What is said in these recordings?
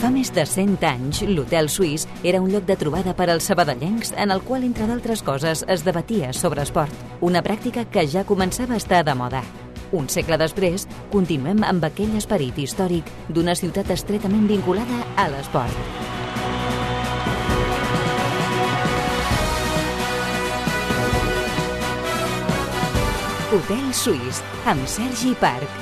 Fa més de 100 anys, l'Hotel Suís era un lloc de trobada per als sabadellencs en el qual, entre d'altres coses, es debatia sobre esport, una pràctica que ja començava a estar de moda. Un segle després, continuem amb aquell esperit històric d'una ciutat estretament vinculada a l'esport. Hotel Suís, amb Sergi Parc.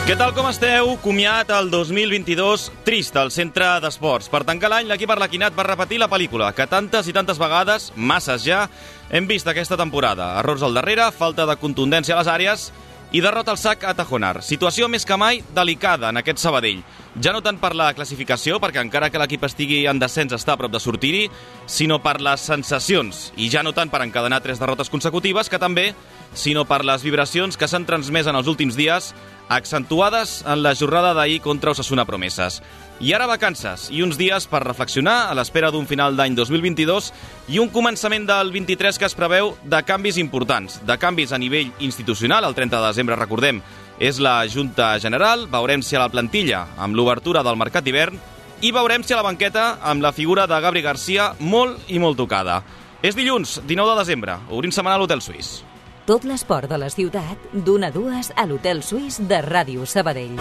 Què tal, com esteu? Comiat el 2022 trist al centre d'esports. Per tancar l'any, l'equip arlequinat va repetir la pel·lícula que tantes i tantes vegades, masses ja, hem vist aquesta temporada. Errors al darrere, falta de contundència a les àrees i derrota al sac a Tajonar. Situació més que mai delicada en aquest Sabadell. Ja no tant per la classificació, perquè encara que l'equip estigui en descens està a prop de sortir-hi, sinó per les sensacions. I ja no tant per encadenar 3 derrotes consecutives, que també, sinó per les vibracions que s'han transmès en els últims dies, accentuades en la jornada d'ahir contra Osasuna Promeses. I ara vacances i uns dies per reflexionar a l'espera d'un final d'any 2022 i un començament del 23 que es preveu de canvis importants, de canvis a nivell institucional. El 30 de desembre, recordem, és la Junta General. Veurem si a la plantilla amb l'obertura del mercat d'hivern i veurem si a la banqueta amb la figura de Gabri Garcia molt i molt tocada. És dilluns, 19 de desembre, obrim setmana a l'Hotel Suís. Tot l'esport de la ciutat, d'1 a 2 a l'Hotel Suís de Ràdio Sabadell.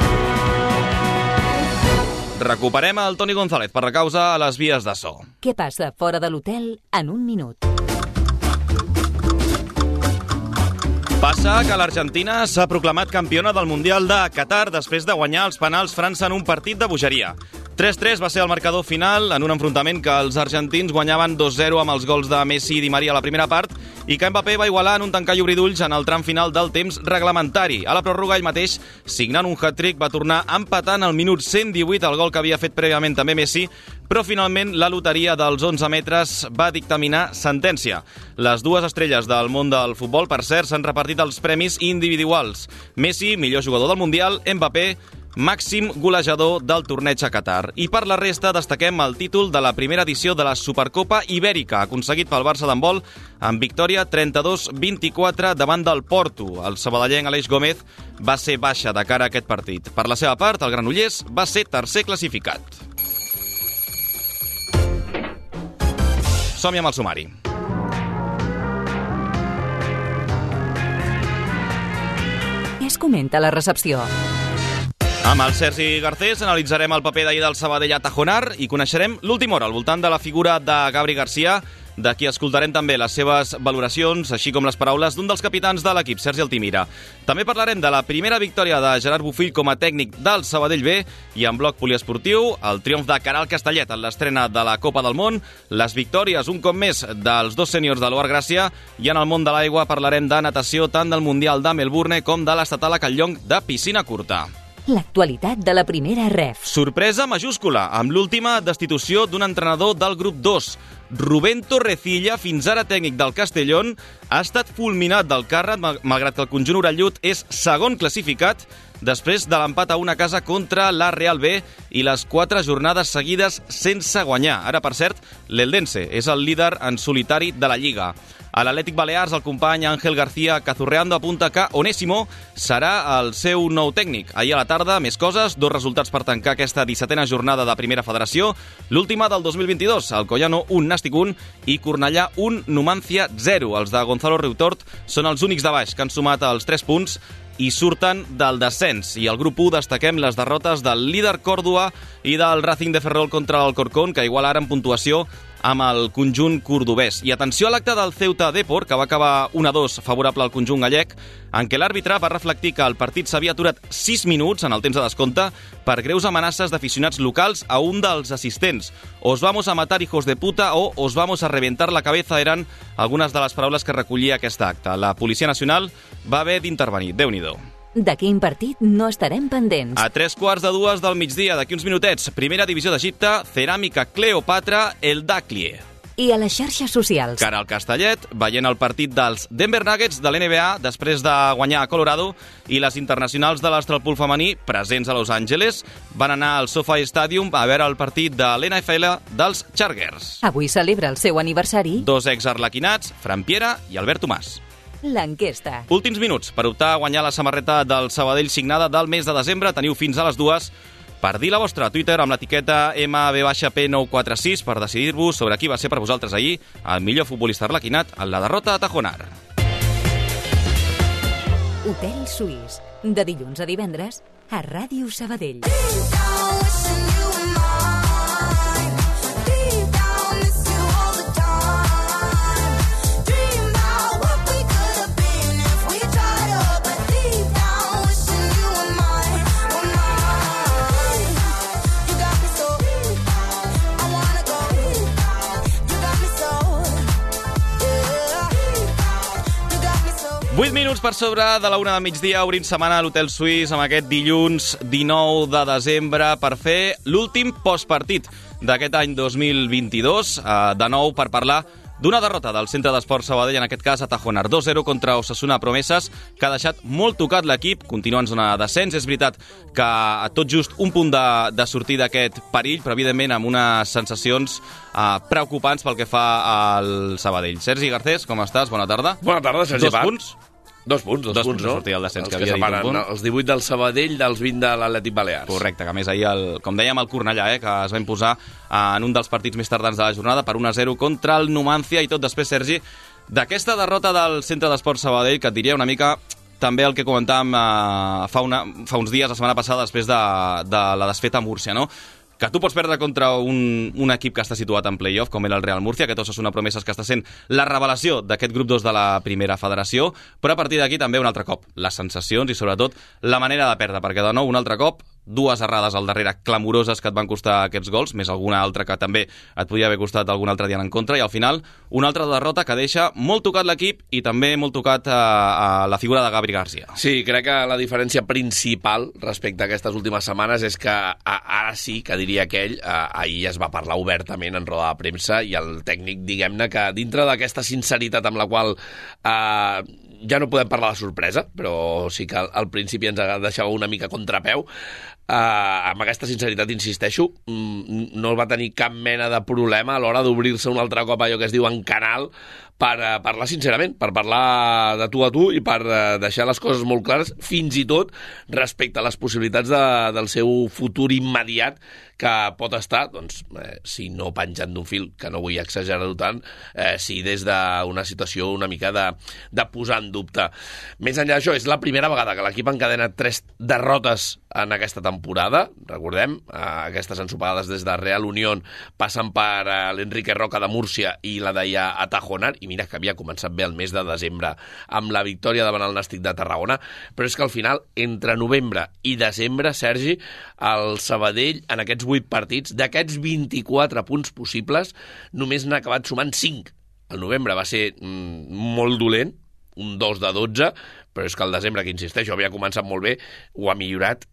Recuperem el Toni González per la causa a les vies de so. Què passa fora de l'hotel en un minut? Passa que l'Argentina s'ha proclamat campiona del Mundial de Qatar després de guanyar els penals França en un partit de bogeria. 3-3 va ser el marcador final en un enfrontament que els argentins guanyaven 2-0 amb els gols de Messi i Di Maria a la primera part i que Mbappé va igualar en un tancar i obrir d'ulls en el tram final del temps reglamentari. A la pròrroga, ell mateix, signant un hat-trick, va tornar empatant al minut 118 el gol que havia fet prèviament també Messi, però finalment la loteria dels 11 metres va dictaminar sentència. Les dues estrelles del món del futbol, per cert, s'han repartit els premis individuals. Messi, millor jugador del Mundial, Mbappé, màxim golejador del torneig a Qatar. I per la resta destaquem el títol de la primera edició de la Supercopa Ibèrica, aconseguit pel Barça d'handbol amb victòria 32-24 davant del Porto. El sabadellenc Aleix Gómez va ser baixa de cara a aquest partit. Per la seva part, el Granollers va ser tercer classificat. Som-hi amb el sumari. Què es comenta a la recepció? Amb el Sergi Garcés analitzarem el paper d'ahir del Sabadell a Tajonar i coneixerem l'última hora al voltant de la figura de Gabri Garcia, de qui escoltarem també les seves valoracions, així com les paraules d'un dels capitans de l'equip, Sergi Altimira. També parlarem de la primera victòria de Gerard Bofill com a tècnic del Sabadell B i en bloc poliesportiu, el triomf de Caral Castellet en l'estrena de la Copa del Món, les victòries un cop més dels dos sèniors de l'Oar Gràcia i en el món de l'aigua parlarem de natació tant del Mundial de Melbourne com de l'estatal a Catlllonc de piscina curta. L'actualitat de la primera ref. Sorpresa majúscula, amb l'última destitució d'un entrenador del grup 2. Rubén Torrecilla, fins ara tècnic del Castellón, ha estat fulminat del càrrec, malgrat que el conjunt orellut és segon classificat, després de l'empat a una casa contra la Real B i les 4 jornades seguides sense guanyar. Ara, per cert, l'Eldense és el líder en solitari de la Lliga. A l'Atlètic Balears, el company Ángel García Cazurreando apunta que Onésimo serà el seu nou tècnic. Ahir a la tarda, més coses, 2 resultats per tancar aquesta 17a jornada de Primera Federació, l'última del 2022, Alcoyano 1, Nàstic 1 i Cornellà 1, Numancia 0. Els de Gonzalo Riutort són els únics de baix que han sumat els 3 punts i surten del descens. I al grup 1 destaquem les derrotes del líder Còrdova i del Racing de Ferrol contra el Corcón, que igual ara en puntuació amb el conjunt cordobès. I atenció a l'acte del Ceuta Depor, que va acabar 1-2 favorable al conjunt gallec, en què l'àrbitre va reflectir que el partit s'havia aturat 6 minuts en el temps de descompte per greus amenaces d'aficionats locals a un dels assistents. Os vamos a matar, hijos de puta, o os vamos a reventar la cabeza eren algunes de les paraules que recollia aquest acte. La Policia Nacional va haver d'intervenir. Déu-n'hi-do. De quin partit no estarem pendents? A 3:15 del migdia, d'aquí uns minutets, primera divisió d'Egipte, Ceràmica Cleopatra, el Dàclie. I a les xarxes socials. Caral Castellet, veient el partit dels Denver Nuggets de l'NBA després de guanyar a Colorado, i les internacionals de l'Astralpool femení, presents a Los Angeles, van anar al SoFi Stadium a veure el partit de l'NFL dels Chargers. Avui celebra el seu aniversari 2 ex-arlequinats, Fran Piera i Albert Tomàs. l'enquesta. Últims minuts per optar a guanyar la samarreta del Sabadell signada del mes de desembre. Teniu fins a les 2 per dir la vostra a Twitter amb l'etiqueta MB-P946 per decidir-vos sobre qui va ser per vosaltres ahir el millor futbolista arlequinat en la derrota a Tajonar. Hotel Suís, de dilluns a divendres a Ràdio Sabadell. Vuit minuts per sobre de la 1 del migdia, obrint setmana a l'Hotel Suís amb aquest dilluns 19 de desembre per fer l'últim postpartit d'aquest any 2022, de nou per parlar d'una derrota del Centre d'Esports Sabadell, en aquest cas a Tajonar, 2-0 contra Osasuna Promeses, que ha deixat molt tocat l'equip, continua en zona de descens. És veritat que tot just un punt de sortir d'aquest perill, però evidentment amb unes sensacions preocupants pel que fa al Sabadell. Sergi Garcés, com estàs? Bona tarda. Bona tarda, Sergi. Dos punts? Dos punts, no? Sortir el descens, els que havia dit un punt. Els 18 del Sabadell dels 20 de l'Atlètic Balears. Correcte, que a més ahir, com dèiem, el Cornellà, que es va imposar en un dels partits més tardans de la jornada per 1-0 contra el Numancia. I tot després, Sergi, d'aquesta derrota del Centre d'Esports Sabadell, que et diria una mica també el que comentàvem fa uns dies, la setmana passada, després de la desfeta a Múrcia, no? Que tu pots perdre contra un equip que està situat en play-off, com era el Real Múrcia, aquest Osasuna Promeses que està sent la revelació d'aquest grup 2 de la primera federació, però a partir d'aquí també un altre cop les sensacions i sobretot la manera de perdre, perquè de nou un altre cop dues errades al darrere clamoroses que et van costar aquests gols, més alguna altra que també et podia haver costat algun altre dia en contra, i al final una altra derrota que deixa molt tocat l'equip i també molt tocat a la figura de Gabri Garcia. Sí, crec que la diferència principal respecte a aquestes últimes setmanes és que ara sí, que diria aquell, ahir es va parlar obertament en roda de premsa i el tècnic, diguem-ne, que dintre d'aquesta sinceritat amb la qual ja no podem parlar de sorpresa, però sí que al principi ens deixava una mica contrapeu. Amb aquesta sinceritat, insisteixo, no va tenir cap mena de problema a l'hora d'obrir-se un altre cop allò que es diu en canal per parlar sincerament, per parlar de tu a tu i per deixar les coses molt clares, fins i tot respecte a les possibilitats del seu futur immediat, que pot estar, doncs, si no penjant d'un fil, que no vull exagerar-ho tant, si des d'una situació una mica de posar en dubte. Més enllà d'això, és la primera vegada que l'equip encadena 3 derrotes en aquesta temporada. Recordem, aquestes ensopegades des de Real Unión passen per l'Enrique Roca de Múrcia i la d'ahir a Tajonar, i mira que havia començat bé el mes de desembre amb la victòria davant el Nàstic de Tarragona, però és que al final, entre novembre i desembre, Sergi, el Sabadell, en aquests 8 partits, d'aquests 24 punts possibles, només n'ha acabat sumant 5. El novembre va ser molt dolent, un 2 de 12, però és que el desembre, que insisteixo, havia començat molt bé, ho ha millorat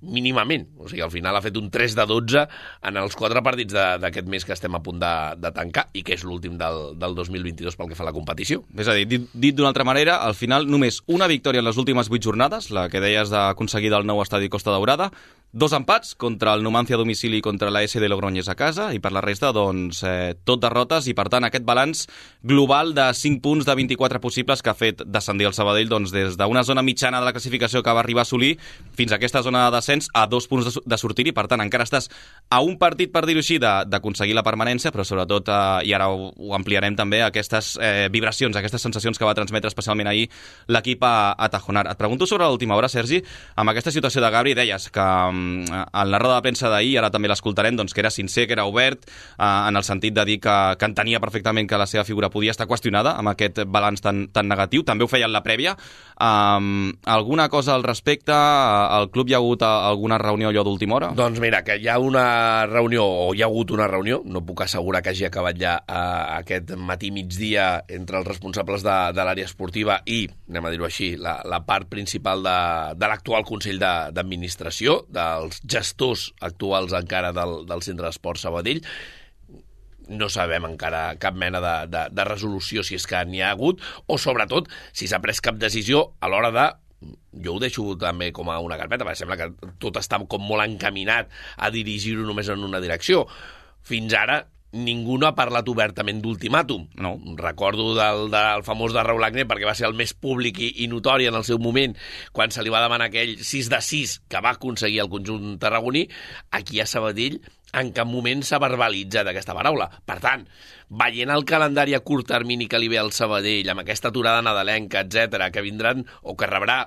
mínimament. O sigui, al final ha fet un 3 de 12 en els 4 partits d'aquest mes que estem a punt de tancar i que és l'últim del 2022 pel que fa a la competició. És a dir, dit d'una altra manera, al final només una victòria en les últimes 8 jornades, la que deies d'aconseguir del nou estadi Costa Daurada, 2 empats contra el Numancia a domicili i contra la SD Logroñés a casa, i per la resta, doncs, tot derrotes, i per tant aquest balanç global de 5 punts de 24 possibles que ha fet descendir el Sabadell, doncs, des d'una zona mitjana de la classificació que va arribar a assolir fins a aquesta zona de descens a 2 punts de sortir, i per tant encara estàs a un partit, per dir-ho així, d'aconseguir la permanència, però sobretot, i ara ho ampliarem també, aquestes vibracions, aquestes sensacions que va transmetre especialment ahir l'equip a Tajonar. Et pregunto sobre l'última hora, Sergi, amb aquesta situació de Gabri, deies que en la roda de premsa d'ahir, ara també l'escoltarem, doncs que era sincer, que era obert, en el sentit de dir que entenia perfectament que la seva figura podia estar qüestionada amb aquest balanç tan negatiu. També ho feia en la prèvia. Alguna cosa al respecte? Al club hi ha hagut alguna reunió allò d'última hora? Doncs mira, que hi ha una reunió, o hi ha hagut una reunió, no puc assegurar que hagi acabat ja aquest matí-migdia entre els responsables de l'àrea esportiva i, anem a dir-ho així, la part principal de l'actual Consell d'Administració, dels gestors actuals encara del Centre d'Esports Sabadell. No sabem encara cap mena de resolució, si és que n'hi ha hagut, o sobretot si s'ha pres cap decisió a l'hora de... Jo ho deixo també com a una carpeta, perquè sembla que tot està com molt encaminat a dirigir-ho només en una direcció. Fins ara ningú no ha parlat obertament d'ultimàtum. No. Recordo del famós de Raúl Agné, perquè va ser el més públic i notori en el seu moment, quan se li va demanar aquell 6-6 que va aconseguir el conjunt tarragoní. Aquí a Sabadell en cap moment s'ha verbalitzat aquesta paraula. Per tant, veient el calendari a curt termini que li ve al Sabadell, amb aquesta aturada nadalenca, etc, que vindran o que rebrà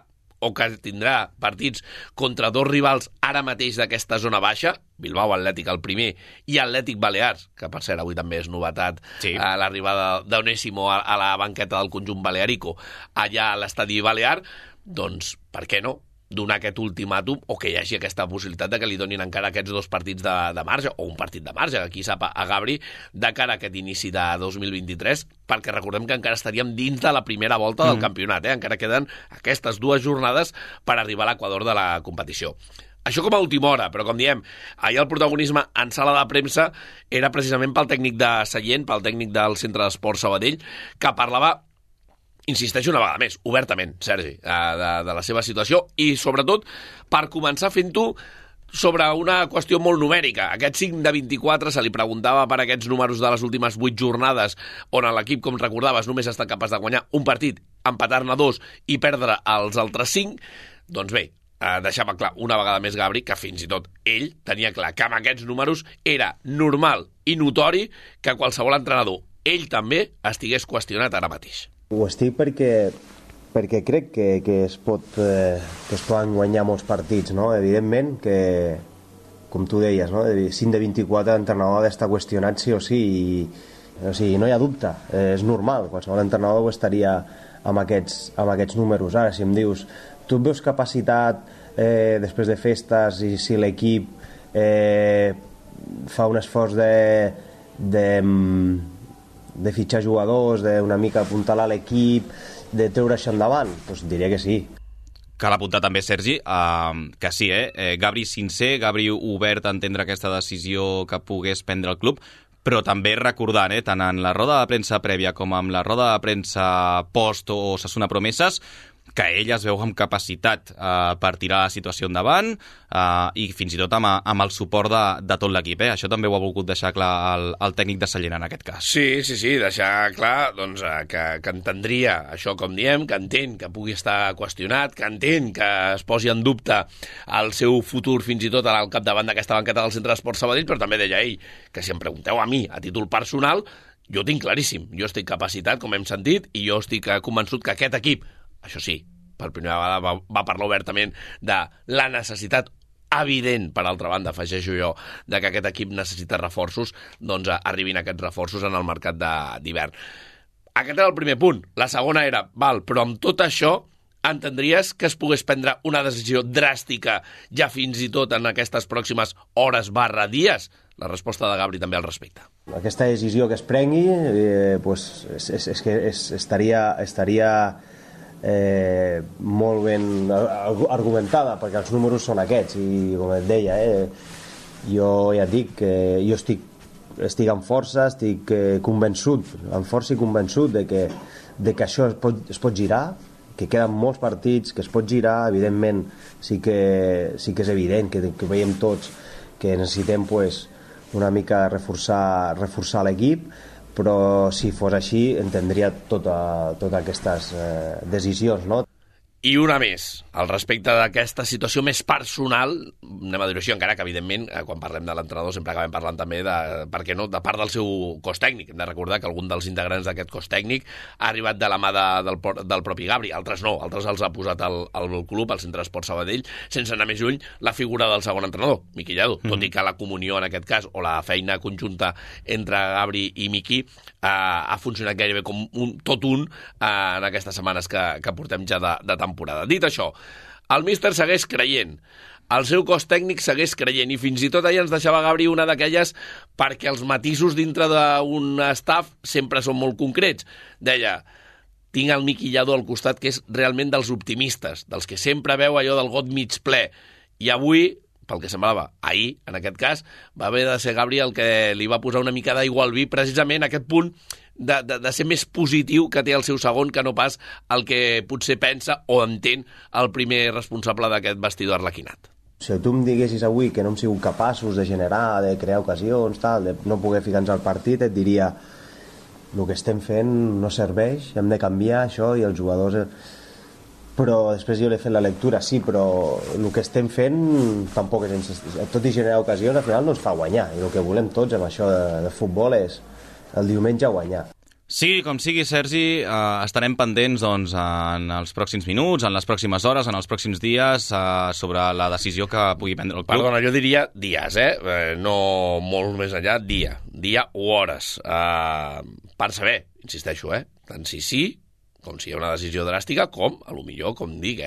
o que tindrà partits contra dos rivals ara mateix d'aquesta zona baixa, Bilbao Atlètic el primer i Atlètic Balears, que per cert avui també és novetat, sí, l'arribada d'Onésimo a la banqueta del conjunt balearico allà a l'estadi balear, doncs per què no donar aquest ultimàtum o que hi hagi aquesta possibilitat de que li donin encara aquests 2 partits de marge, o un partit de marge, qui sap, a Gabri, de cara a aquest inici de 2023, perquè recordem que encara estaríem dins de la primera volta del campionat, encara queden aquestes 2 jornades per arribar a l'equador de la competició. Això com a última hora, però com diem, ahir el protagonisme en sala de premsa era precisament pel tècnic de Sallent, pel tècnic del Centre d'Esports Sabadell, que parlava, insisteixo una vegada més, obertament, Sergi, de la seva situació i, sobretot, per començar fent-ho sobre una qüestió molt numèrica. Aquest 5 de 24 se li preguntava per aquests números de les últimes 8 jornades on l'equip, com recordaves, només ha estat capaç de guanyar un partit, empatar-ne 2 i perdre els altres 5. Doncs bé, deixava clar una vegada més Gabri que fins i tot ell tenia clar que amb aquests números era normal i notori que qualsevol entrenador, ell també, estigués qüestionat ara mateix. Ho estic perquè crec que es poden guanyar molts partits, no? Evidentment que, com tu deies, no? 5 de 24 l'entrenador ha d'estar qüestionat sí o sí, o sigui, no hi ha dubte, és normal, qualsevol entrenador ho estaria amb aquests números. Ara, si em dius, tu et veus capacitat després de festes i si l'equip fa un esforç de fitxar jugadors, d'una mica apuntalar l'equip, de treure això endavant? Doncs diria que sí. Cal apuntar també, Sergi, que sí, Gabri sincer, Gabri obert a entendre aquesta decisió que pogués prendre el club, però també recordant, tant en la roda de premsa prèvia com en la roda de premsa post o Osasuna Promeses, que ell es veu amb capacitat per tirar la situació endavant i fins i tot amb el suport de tot l'equip. Això també ho ha volgut deixar clar el tècnic de Sallent en aquest cas. Sí, deixar clar doncs, que entendria això, com diem, que entén que pugui estar qüestionat, que entén que es posi en dubte el seu futur fins i tot al capdavant d'aquesta banqueta del Centre d'Esports Sabadell, però també deia ell que si em pregunteu a mi a títol personal, jo tinc claríssim, jo estic capacitat, com hem sentit, i jo estic convençut que aquest equip, això sí, per primera vegada va parlar obertament de la necessitat evident, per altra banda, afegeixo jo, de que aquest equip necessita reforços, doncs arribin aquests reforços en el mercat d'hivern. Aquest era el primer punt. La segona era, però amb tot això entendries que es pogués prendre una decisió dràstica ja fins i tot en aquestes pròximes hores/dies? La resposta de Gabri també al respecte. Aquesta decisió que es prengui és que estaria molt ben argumentada, perquè els números són aquests i, com et deia, jo ja et dic que jo estic amb força, estic convençut, amb força i convençut de que això es pot girar, que queden molts partits, que es pot girar. Evidentment sí que és evident que veiem tots que necessitem una mica reforçar l'equip, però si fos així entendria totes aquestes decisions, no? I una més, al respecte d'aquesta situació més personal, anem a dir-ho així, encara que, evidentment, quan parlem de l'entrenador sempre acabem parlant també per què no, de part del seu cos tècnic. Hem de recordar que algun dels integrants d'aquest cos tècnic ha arribat de la mà del propi Gabri, altres no, altres els ha posat al club, al Centre d'Esports Sabadell, sense anar més lluny, la figura del segon entrenador, Miqui Lladó, tot i que la comunió en aquest cas, o la feina conjunta entre Gabri i Miqui, ha funcionat gairebé com tot un en aquestes setmanes que portem ja de temporada. Dit això, el míster segueix creient, el seu cos tècnic segueix creient, i fins i tot ahir ens deixava Gabri una d'aquelles perquè els matisos dintre d'un staff sempre són molt concrets. Deia, tinc el Miqui Lladó al costat, que és realment dels optimistes, dels que sempre veu allò del got mig ple, i avui, pel que semblava, ahir, en aquest cas, va haver de ser Gabri el que li va posar una mica d'aigua al vi, precisament aquest punt de ser més positiu que té el seu segon, que no pas el que potser pensa o entén el primer responsable d'aquest vestidor arlequinat. Si tu em diguessis avui que no hem sigut capaços de generar, de crear ocasions, tal, de no poder ficar-nos al partit, et diria el que estem fent no serveix, hem de canviar això i els jugadors... Però després jo l'he fet la lectura, sí, però el que estem fent tampoc és... Tot i generar ocasions, al final no ens fa guanyar. I el que volem tots amb això de futbol és el diumenge guanyar. Sí, com sigui, Sergi, estarem pendents doncs, en els pròxims minuts, en les pròximes hores, en els pròxims dies, sobre la decisió que pugui prendre el club. Perdona, jo diria dies, no molt més enllà, dia o hores. Per saber, insisteixo, tant sí, com si hi ha una decisió dràstica, com, a lo millor, com dic,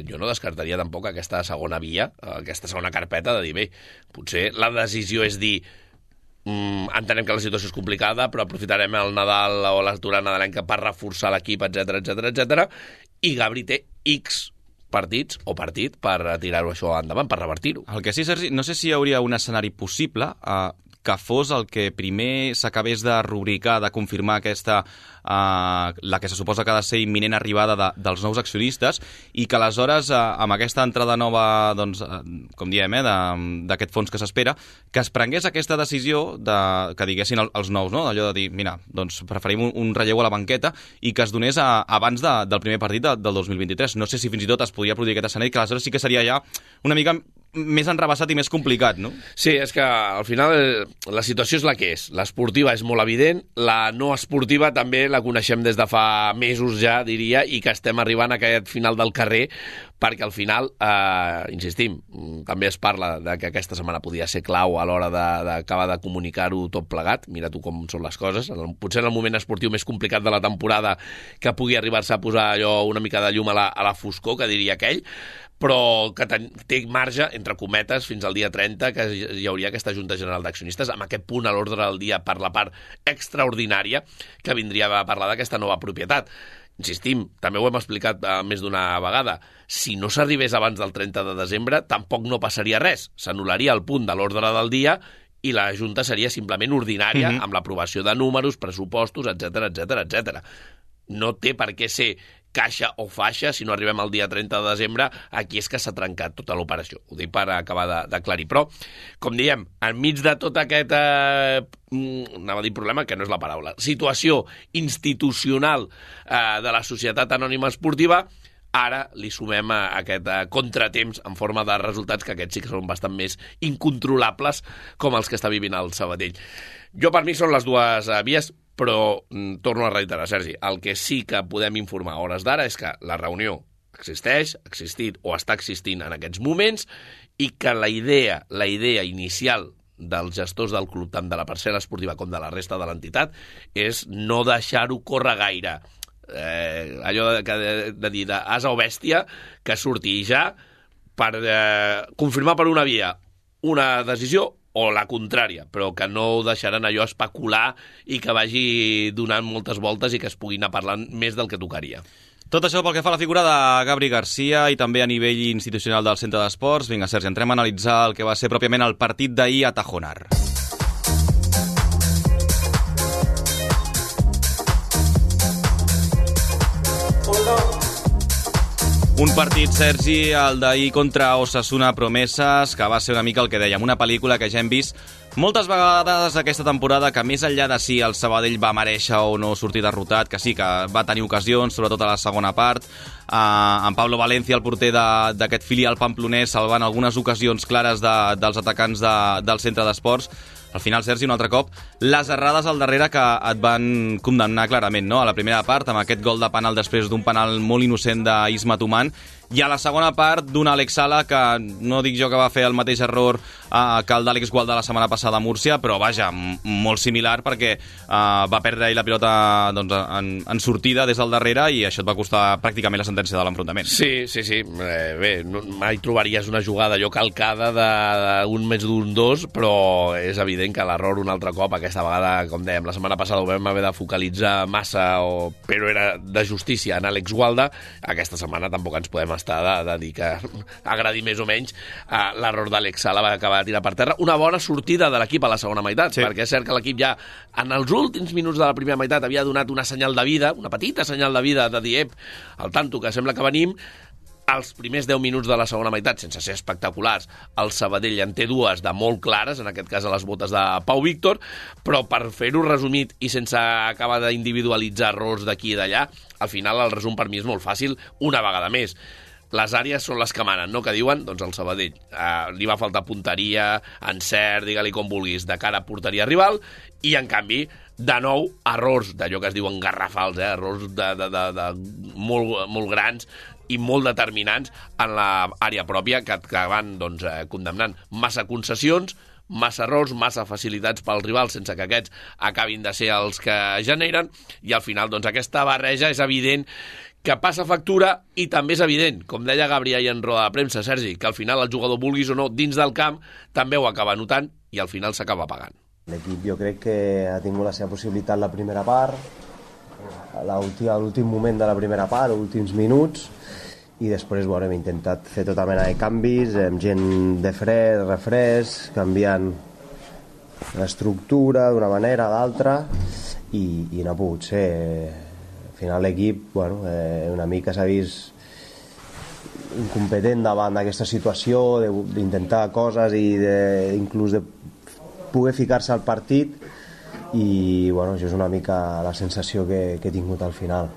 jo no descartaria tampoc aquesta segona via, aquesta segona carpeta de dir, bé, potser la decisió és dir entenem que la situació és complicada, però aprofitarem el Nadal o l'aturada nadalenca per reforçar l'equip, etc. I Gabri té X partits o partit per tirar-ho això endavant, per revertir-ho. El que sí, Sergi, no sé si hi hauria un escenari possible que fos el que primer s'acabés de rubricar, de confirmar aquesta, la que se suposa que ha de ser imminent arribada dels nous accionistes, i que aleshores, amb aquesta entrada nova, doncs, com diem, d'aquest fons que s'espera, que es prengués aquesta decisió que diguessin els nous, no? Allò de dir, mira, doncs preferim un relleu a la banqueta, i que es donés abans del primer partit del 2023. No sé si fins i tot es podria produir aquest escenari, que aleshores sí que seria ja una mica més enrebaçat i més complicat, no? Sí, és que al final la situació és la que és. L'esportiva és molt evident, la no esportiva també la coneixem des de fa mesos ja, diria, i que estem arribant a aquest final del carrer, perquè al final, insistim, també es parla de que aquesta setmana podia ser clau a l'hora d'acabar de comunicar-ho tot plegat. Mira tu com són les coses. Potser en el moment esportiu més complicat de la temporada que pugui arribar-se a posar allò una mica de llum a la foscor, que diria aquell, però que té marge, entre cometes, fins al dia 30, que hi hauria aquesta Junta General d'Accionistes, amb aquest punt a l'ordre del dia per la part extraordinària que vindria a parlar d'aquesta nova propietat. Insistim, també ho hem explicat més d'una vegada, si no s'arribés abans del 30 de desembre, tampoc no passaria res. S'anul·laria el punt de l'ordre del dia i la Junta seria simplement ordinària, amb l'aprovació de números, pressupostos, etc. No té per què ser caixa o faixa, si no arribem al dia 30 de desembre, aquí és que s'ha trencat tota l'operació. Ho dic per acabar d'aclarir. Però, com diem, enmig de tot aquest, anava a dir problema, que no és la paraula, situació institucional de la Societat Anònima Esportiva, ara li sumem aquest contratemps en forma de resultats, que aquests sí que són bastant més incontrolables, com els que està vivint el Sabadell. Jo, per mi, són les dues vies, però torno a reiterar, Sergi, el que sí que podem informar a hores d'ara és que la reunió existeix, ha existit o està existint en aquests moments, i que la idea inicial dels gestors del club, tant de la parcel·la esportiva com de la resta de l'entitat, és no deixar-ho córrer gaire. Allò de dir d'asa o bèstia, que surti ja per confirmar per una via una decisió o la contrària, però que no ho deixaran allò especular i que vagi donant moltes voltes i que es pugui anar parlant més del que tocaria. Tot això pel que fa a la figura de Gabri Garcia i també a nivell institucional del Centre d'Esports. Vinga, Sergi, entrem a analitzar el que va ser pròpiament el partit d'ahir a Tajonar. Un partit, Sergi, el d'ahir contra Osasuna Promeses, que va ser una mica el que dèiem, una pel·lícula que ja hem vist moltes vegades aquesta temporada, que més enllà de si el Sabadell va merèixer o no sortir derrotat, que sí que va tenir ocasions, sobretot a la segona part, en Pablo Valencia, el porter d'aquest filial pamplonès, salvant algunes ocasions clares dels atacants del Centre d'Esports. Al final, Sergi, un altre cop, les errades al darrere que et van condemnar clarament, no? A la primera part, amb aquest gol de penal després d'un penal molt innocent d'Isma Tuman, i a la segona part d'un Alex Sala, que no dic jo que va fer el mateix error que el d'Àlex Gualdà la setmana passada a Múrcia, però vaja, molt similar, perquè va perdre la pilota en sortida des del darrere, i això et va costar pràcticament la sentència de l'enfrontament. Sí. Bé, mai trobaries una jugada allò calcada d'un més d'un dos, però és evident que l'error un altre cop, aquesta vegada, com dèiem, la setmana passada ho vam haver de focalitzar massa, però era de justícia en Àlex Gualdà. Aquesta setmana tampoc ens podem estar de dir que agradi més o menys l'error d'Àlex Sala, va acabar de tirar per terra. Una bona sortida de l'equip a la segona meitat, sí, perquè és cert que l'equip ja en els últims minuts de la primera meitat havia donat una senyal de vida, una petita senyal de vida, de dir, al tanto, que sembla que venim. Els primers 10 minuts de la segona meitat, sense ser espectaculars, el Sabadell en té dues de molt clares, en aquest cas a les botes de Pau Víctor, però per fer-ho resumit i sense acabar d'individualitzar errors d'aquí i d'allà, al final el resum per mi és molt fàcil, una vegada més. Les àrees són les que manen, no? Que diuen, doncs el Sabadell. Li va faltar punteria, encert, digue-li com vulguis, de cara a porteria rival, i en canvi, de nou, errors d'allò que es diuen garrafals, errors de molt grans i molt determinants en l'àrea pròpia que van doncs, condemnant massa concessions, massa errors, massa facilitats pels rivals sense que aquests acabin de ser els que generen, i al final doncs, aquesta barreja és evident que passa factura, i també és evident, com deia Gabri ahir en roda de premsa, Sergi, que al final el jugador, vulguis o no, dins del camp, també ho acaba notant i al final s'acaba pagant. L'equip jo crec que ha tingut la seva possibilitat la primera part, a l'últim moment de la primera part, els últims minuts, i després hem intentat fer tota mena de canvis, amb gent de fred, refresc, canviant l'estructura d'una manera o d'altra, i no ha pogut ser. Al final l'equip una mica s'ha vist incompetent davant d'aquesta situació, d'intentar coses i inclús de poder ficar-se al partit, i això és una mica la sensació que he tingut al final.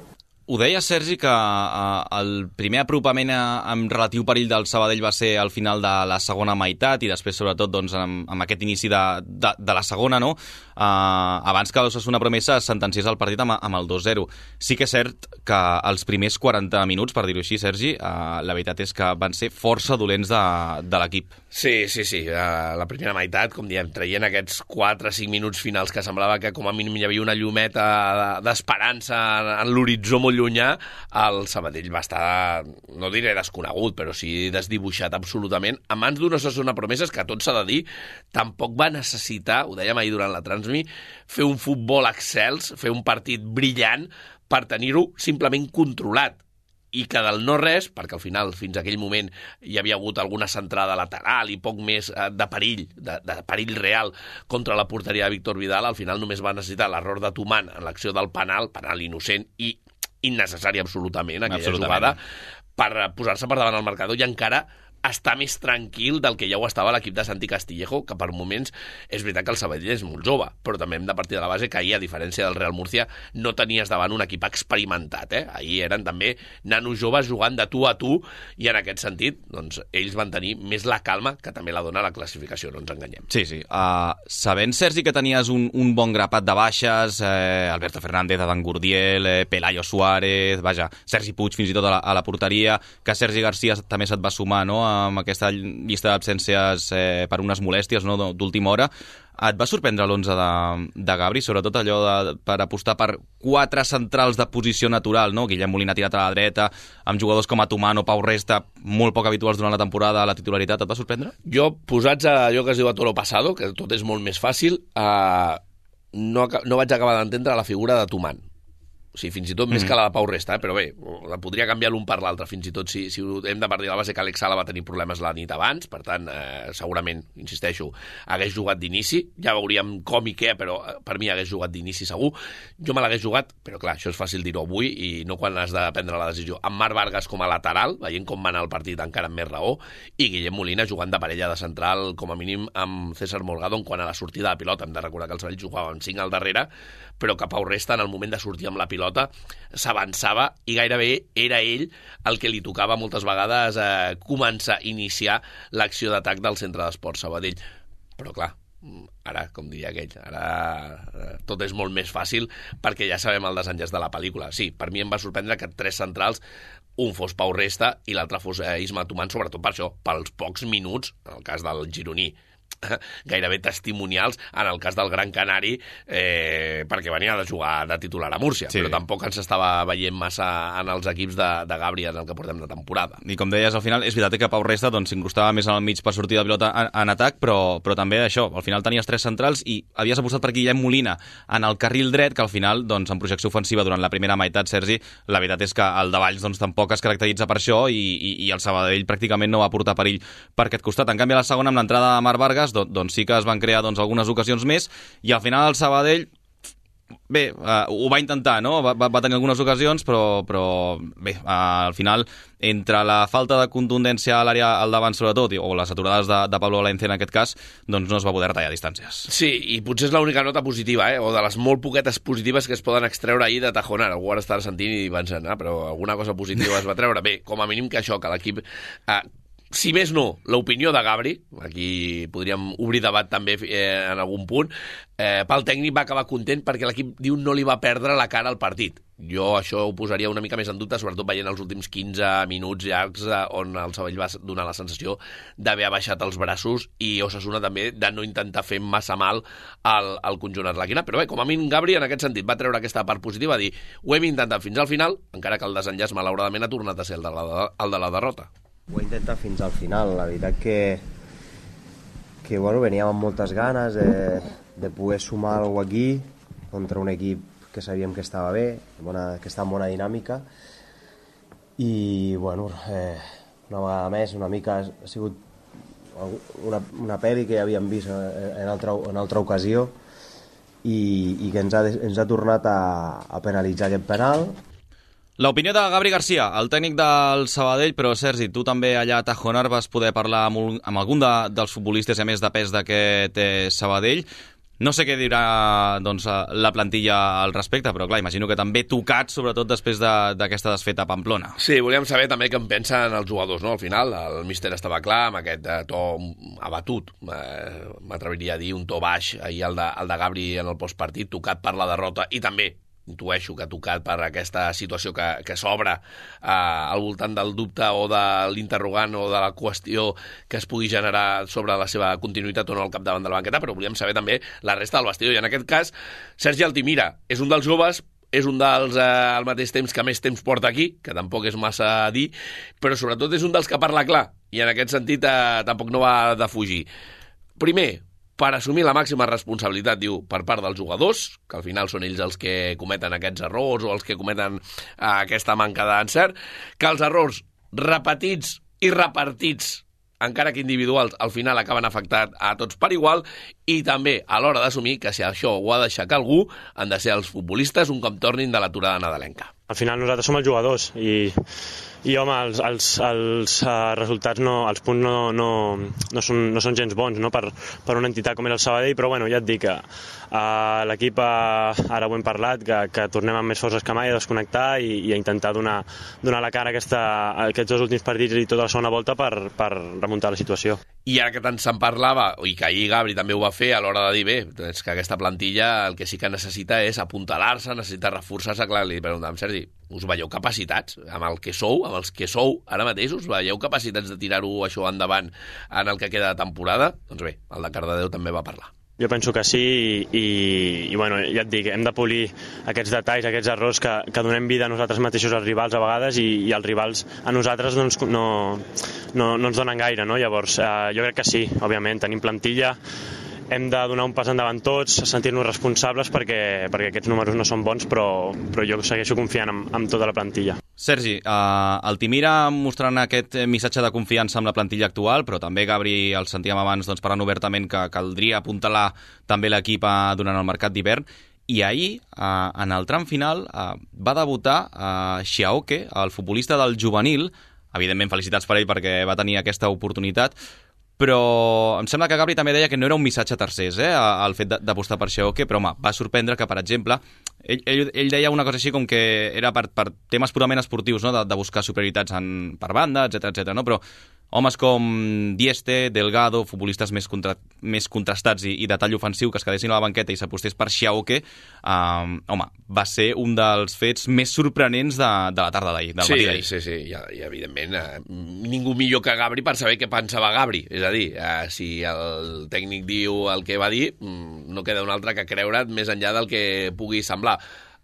Ho deia, Sergi, que el primer apropament amb relatiu perill del Sabadell va ser al final de la segona meitat i després, sobretot, doncs, amb aquest inici de la segona, no? Abans que l'Osasuna Promesa es sentenciés el partit amb el 2-0. Sí que és cert que els primers 40 minuts, per dir-ho així, Sergi, la veritat és que van ser força dolents de l'equip. Sí. La primera meitat, com diem, traient aquests 4-5 minuts finals que semblava que com a mínim hi havia una llumeta d'esperança en l'horitzó molt llunyà, el Sabadell va estar, no diré desconegut, però sí desdibuixat absolutament, a mans d'una Osasuna Promeses que, tot s'ha de dir, tampoc va necessitar, ho dèiem ahir durant la Transmi, fer un futbol excels, fer un partit brillant per tenir-ho simplement controlat. I que del no res, perquè al final fins a aquell moment hi havia hagut alguna centrada lateral i poc més de perill, de perill real contra la porteria de Víctor Vidal, al final només va necessitar l'error de Tuman en l'acció del penal innocent i innecessari absolutament, aquella jugada, per posar-se per davant el marcador i encara està més tranquil del que ja ho estava l'equip de Santi Castillejo, que per moments és veritat que el Sabadell és molt jove, però també hem de partir de la base que ahir, a diferència del Real Murcia, no tenies davant un equip experimentat. Ahir eren també nanos joves jugant de tu a tu, i en aquest sentit doncs, ells van tenir més la calma que també la dona la classificació, no ens enganyem. Sí. Sabent, Sergi, que tenies un bon grapat de baixes, Alberto Fernández, Adán Gurdiel, Pelayo Suárez, Sergi Puig fins i tot a la porteria, que Sergi Garcia també se't va sumar, no?, amb aquesta llista d'absències per unes molèsties, no?, d'última hora. Et va sorprendre l'11 de Gabri, sobretot allò per apostar per 4 centrals de posició natural, no? Guillem Molina tirat a la dreta, amb jugadors com Atumano, Pau Resta, molt poc habituals durant la temporada a la titularitat. Et va sorprendre? Jo, posats a allò que es diu a toro pasado, que tot és molt més fàcil, no vaig acabar d'entendre la figura de Tuman. O sigui, fins i tot més que la de Pau Resta, però bé, la podria canviar l'un per l'altre, fins i tot si hem de partir de la base que Alex Sala va tenir problemes la nit abans, per tant, segurament, insisteixo, hagués jugat d'inici, ja veuríem com i què, però per mi hagués jugat d'inici segur. Jo me l'hagués jugat, però clar, això és fàcil dir-ho avui i no quan has de prendre la decisió, amb Marc Vargas com a lateral, veient com va anar el partit encara amb més raó, i Guillem Molina jugant de parella de central, com a mínim amb César Morgado, quan a la sortida de pilota. Hem de recordar que els Sabadell jugaven 5 al darrere, però que Pau Resta, en el moment de sortir amb la pilota, s'avançava i gairebé era ell el que li tocava moltes vegades començar a iniciar l'acció d'atac del centre d'esports Sabadell. Però clar, ara, com diria aquell, ara tot és molt més fàcil perquè ja sabem el desenllaç de la pel·lícula. Sí, per mi em va sorprendre que 3 centrals, un fos Pau Resta i l'altre fos Isma Tuman, sobretot per això, pels pocs minuts, en el cas del gironí, gairebé testimonials, en el cas del Gran Canari, perquè venia de jugar de titular a Múrcia, sí. Però tampoc ens estava veient massa en els equips de Gabri en el que portem de temporada. I com deies, al final, és veritat que Pau Resta s'incrustava més al mig per sortir de pilota en atac, però també això, al final tenies 3 centrals i havies apostat per Guillem Molina en el carril dret, que al final, doncs, en projecció ofensiva durant la primera meitat, Sergi, la veritat és que el Davalls doncs, tampoc es caracteritza per això i el Sabadell pràcticament no va portar perill per aquest costat. En canvi, a la segona, amb l'entrada de Marc Vargas, doncs sí que es van crear algunes ocasions més i al final el Sabadell bé, ho va intentar, no? Va tenir algunes ocasions, però bé, al final, entre la falta de contundència a l'àrea al davant, sobretot, o les aturades de Pablo Valencia en aquest cas, doncs no es va poder tallar distàncies. Sí, i potser és l'única nota positiva, o de les molt poquetes positives que es poden extreure ahir de Tajonar. Algú ara estarà sentint i pensant, però alguna cosa positiva es va treure. Bé, com a mínim que això, que l'equip... Si més no, l'opinió de Gabri, aquí podríem obrir debat també en algun punt, pel tècnic va acabar content perquè l'equip diu no li va perdre la cara al partit. Jo això ho posaria una mica més en dubte, sobretot veient els últims 15 minuts llargs on el Sabadell va donar la sensació d'haver abaixat els braços i Osasuna també de no intentar fer massa mal al conjunt arlequinat. Però bé, com a mínim Gabri en aquest sentit va treure aquesta part positiva, dir ho hem intentat fins al final, encara que el desenllaç malauradament ha tornat a ser el de la derrota. Ho he intentat fins al final, la veritat que bueno, veníem amb moltes ganes de poder sumar alguna cosa aquí contra un equip que sabíem que estava bé, que està en bona dinàmica i bueno, una vegada més una mica ha sigut una pel·li que ja havíem vist en altra ocasió i que ens ha tornat a penalitzar aquest penal. L'opinió de Gabri García, el tècnic del Sabadell, però Sergi, tu també allà a Tajonar vas poder parlar amb algun dels futbolistes, a més de pes d'aquest Sabadell. No sé què dirà doncs, la plantilla al respecte, però clar, imagino que també tocat, sobretot després d'aquesta desfeta a Pamplona. Sí, volíem saber també què en pensen els jugadors, no? Al final, el míster estava clar, amb aquest to abatut, m'atreviria a dir un to baix, ahir el de Gabri en el postpartit, tocat per la derrota, i també intueixo que ha tocat per aquesta situació que s'obre al voltant del dubte o de l'interrogant o de la qüestió que es pugui generar sobre la seva continuïtat o no al capdavant de la banqueta, però volíem saber també la resta del vestidor. I en aquest cas, Sergi Altimira és un dels joves, és un dels, al mateix temps, que més temps porta aquí, que tampoc és massa a dir, però sobretot és un dels que parla clar, i en aquest sentit tampoc no va de fugir. Primer, per assumir la màxima responsabilitat, diu, per part dels jugadors, que al final són ells els que cometen aquests errors o els que cometen aquesta manca d'encert, que els errors repetits i repartits, encara que individuals, al final acaben afectant a tots per igual, i també a l'hora d'assumir que si això ho ha d'aixecar algú, han de ser els futbolistes un cop tornin de l'aturada nadalenca. Al final nosaltres som els jugadors i home, els resultats, els punts no són gens bons, no? per una entitat com és el Sabadell, però bueno, ja et dic que l'equip, ara ho hem parlat, que tornem amb més forces que mai a desconnectar i a intentar donar la cara a aquests dos últims partits i tota la segona volta per remuntar la situació. I ara que tant se'n parlava, i que ahir Gabri també ho va fer a l'hora de dir, bé, és que aquesta plantilla el que sí que necessita és apuntalar-se, necessita reforçar-se. Clar, li preguntàvem, Sergi, us veieu capacitats amb els que sou ara mateix, us veieu capacitats de tirar-ho això endavant en el que queda de temporada? Doncs bé, el de Cardedeu també va parlar. Jo penso que sí i bueno, ja et dic, hem de polir aquests detalls, aquests errors que donem vida a nosaltres mateixos als rivals a vegades i els rivals a nosaltres doncs, no ens donen gaire, no? Llavors jo crec que sí, òbviament, tenim plantilla, hem de donar un pas endavant tots, sentir-nos responsables perquè aquests números no són bons, però jo segueixo confiant en tota la plantilla. Sergi, Altimira mostrant aquest missatge de confiança amb la plantilla actual, però també Gabri, el sentíem abans doncs, parlant obertament que caldria apuntalar també l'equip durant el mercat d'hivern, i ahir, en el tram final, va debutar Xiaoque, el futbolista del juvenil. Evidentment, felicitats per ell perquè va tenir aquesta oportunitat, però em sembla que Gabri també deia que no era un missatge a tercers, el fet d'apostar per Xiaoque, però home, va sorprendre que, per exemple, ell deia una cosa així com que era per temes purament esportius, no? de buscar superioritats per banda, etc, no? Però homes com Dieste, Delgado, futbolistes més contrastats i de tall ofensiu que es quedessin a la banqueta i s'apostés per Xiaoque, home, va ser un dels fets més sorprenents de la tarda d'ahir, del matí d'ahir. Sí, i evidentment ningú millor que Gabri per saber què pensava Gabri. És a dir, si el tècnic diu el que va dir, no queda un altre que creure't més enllà del que pugui semblar.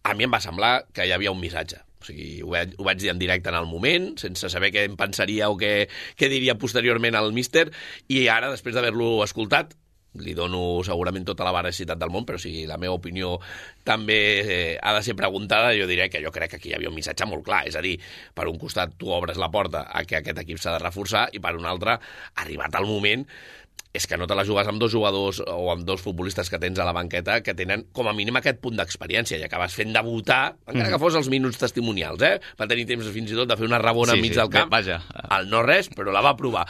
A mi em va semblar que hi havia un missatge. O sigui, ho vaig dir en directe en el moment, sense saber què em pensaria o què diria posteriorment al míster, i ara, després d'haver-lo escoltat, li dono segurament tota la veracitat del món, però si la meva opinió també ha de ser preguntada, jo diré que jo crec que aquí hi havia un missatge molt clar. És a dir, per un costat tu obres la porta a que aquest equip s'ha de reforçar i per un altre, arribat el moment, és que no te la jugues amb dos jugadors o amb dos futbolistes que tens a la banqueta que tenen com a mínim aquest punt d'experiència i acabes fent debutar, encara que fos els minuts testimonials, va tenir temps fins i tot de fer una rabona enmig del camp, el no res, però la va provar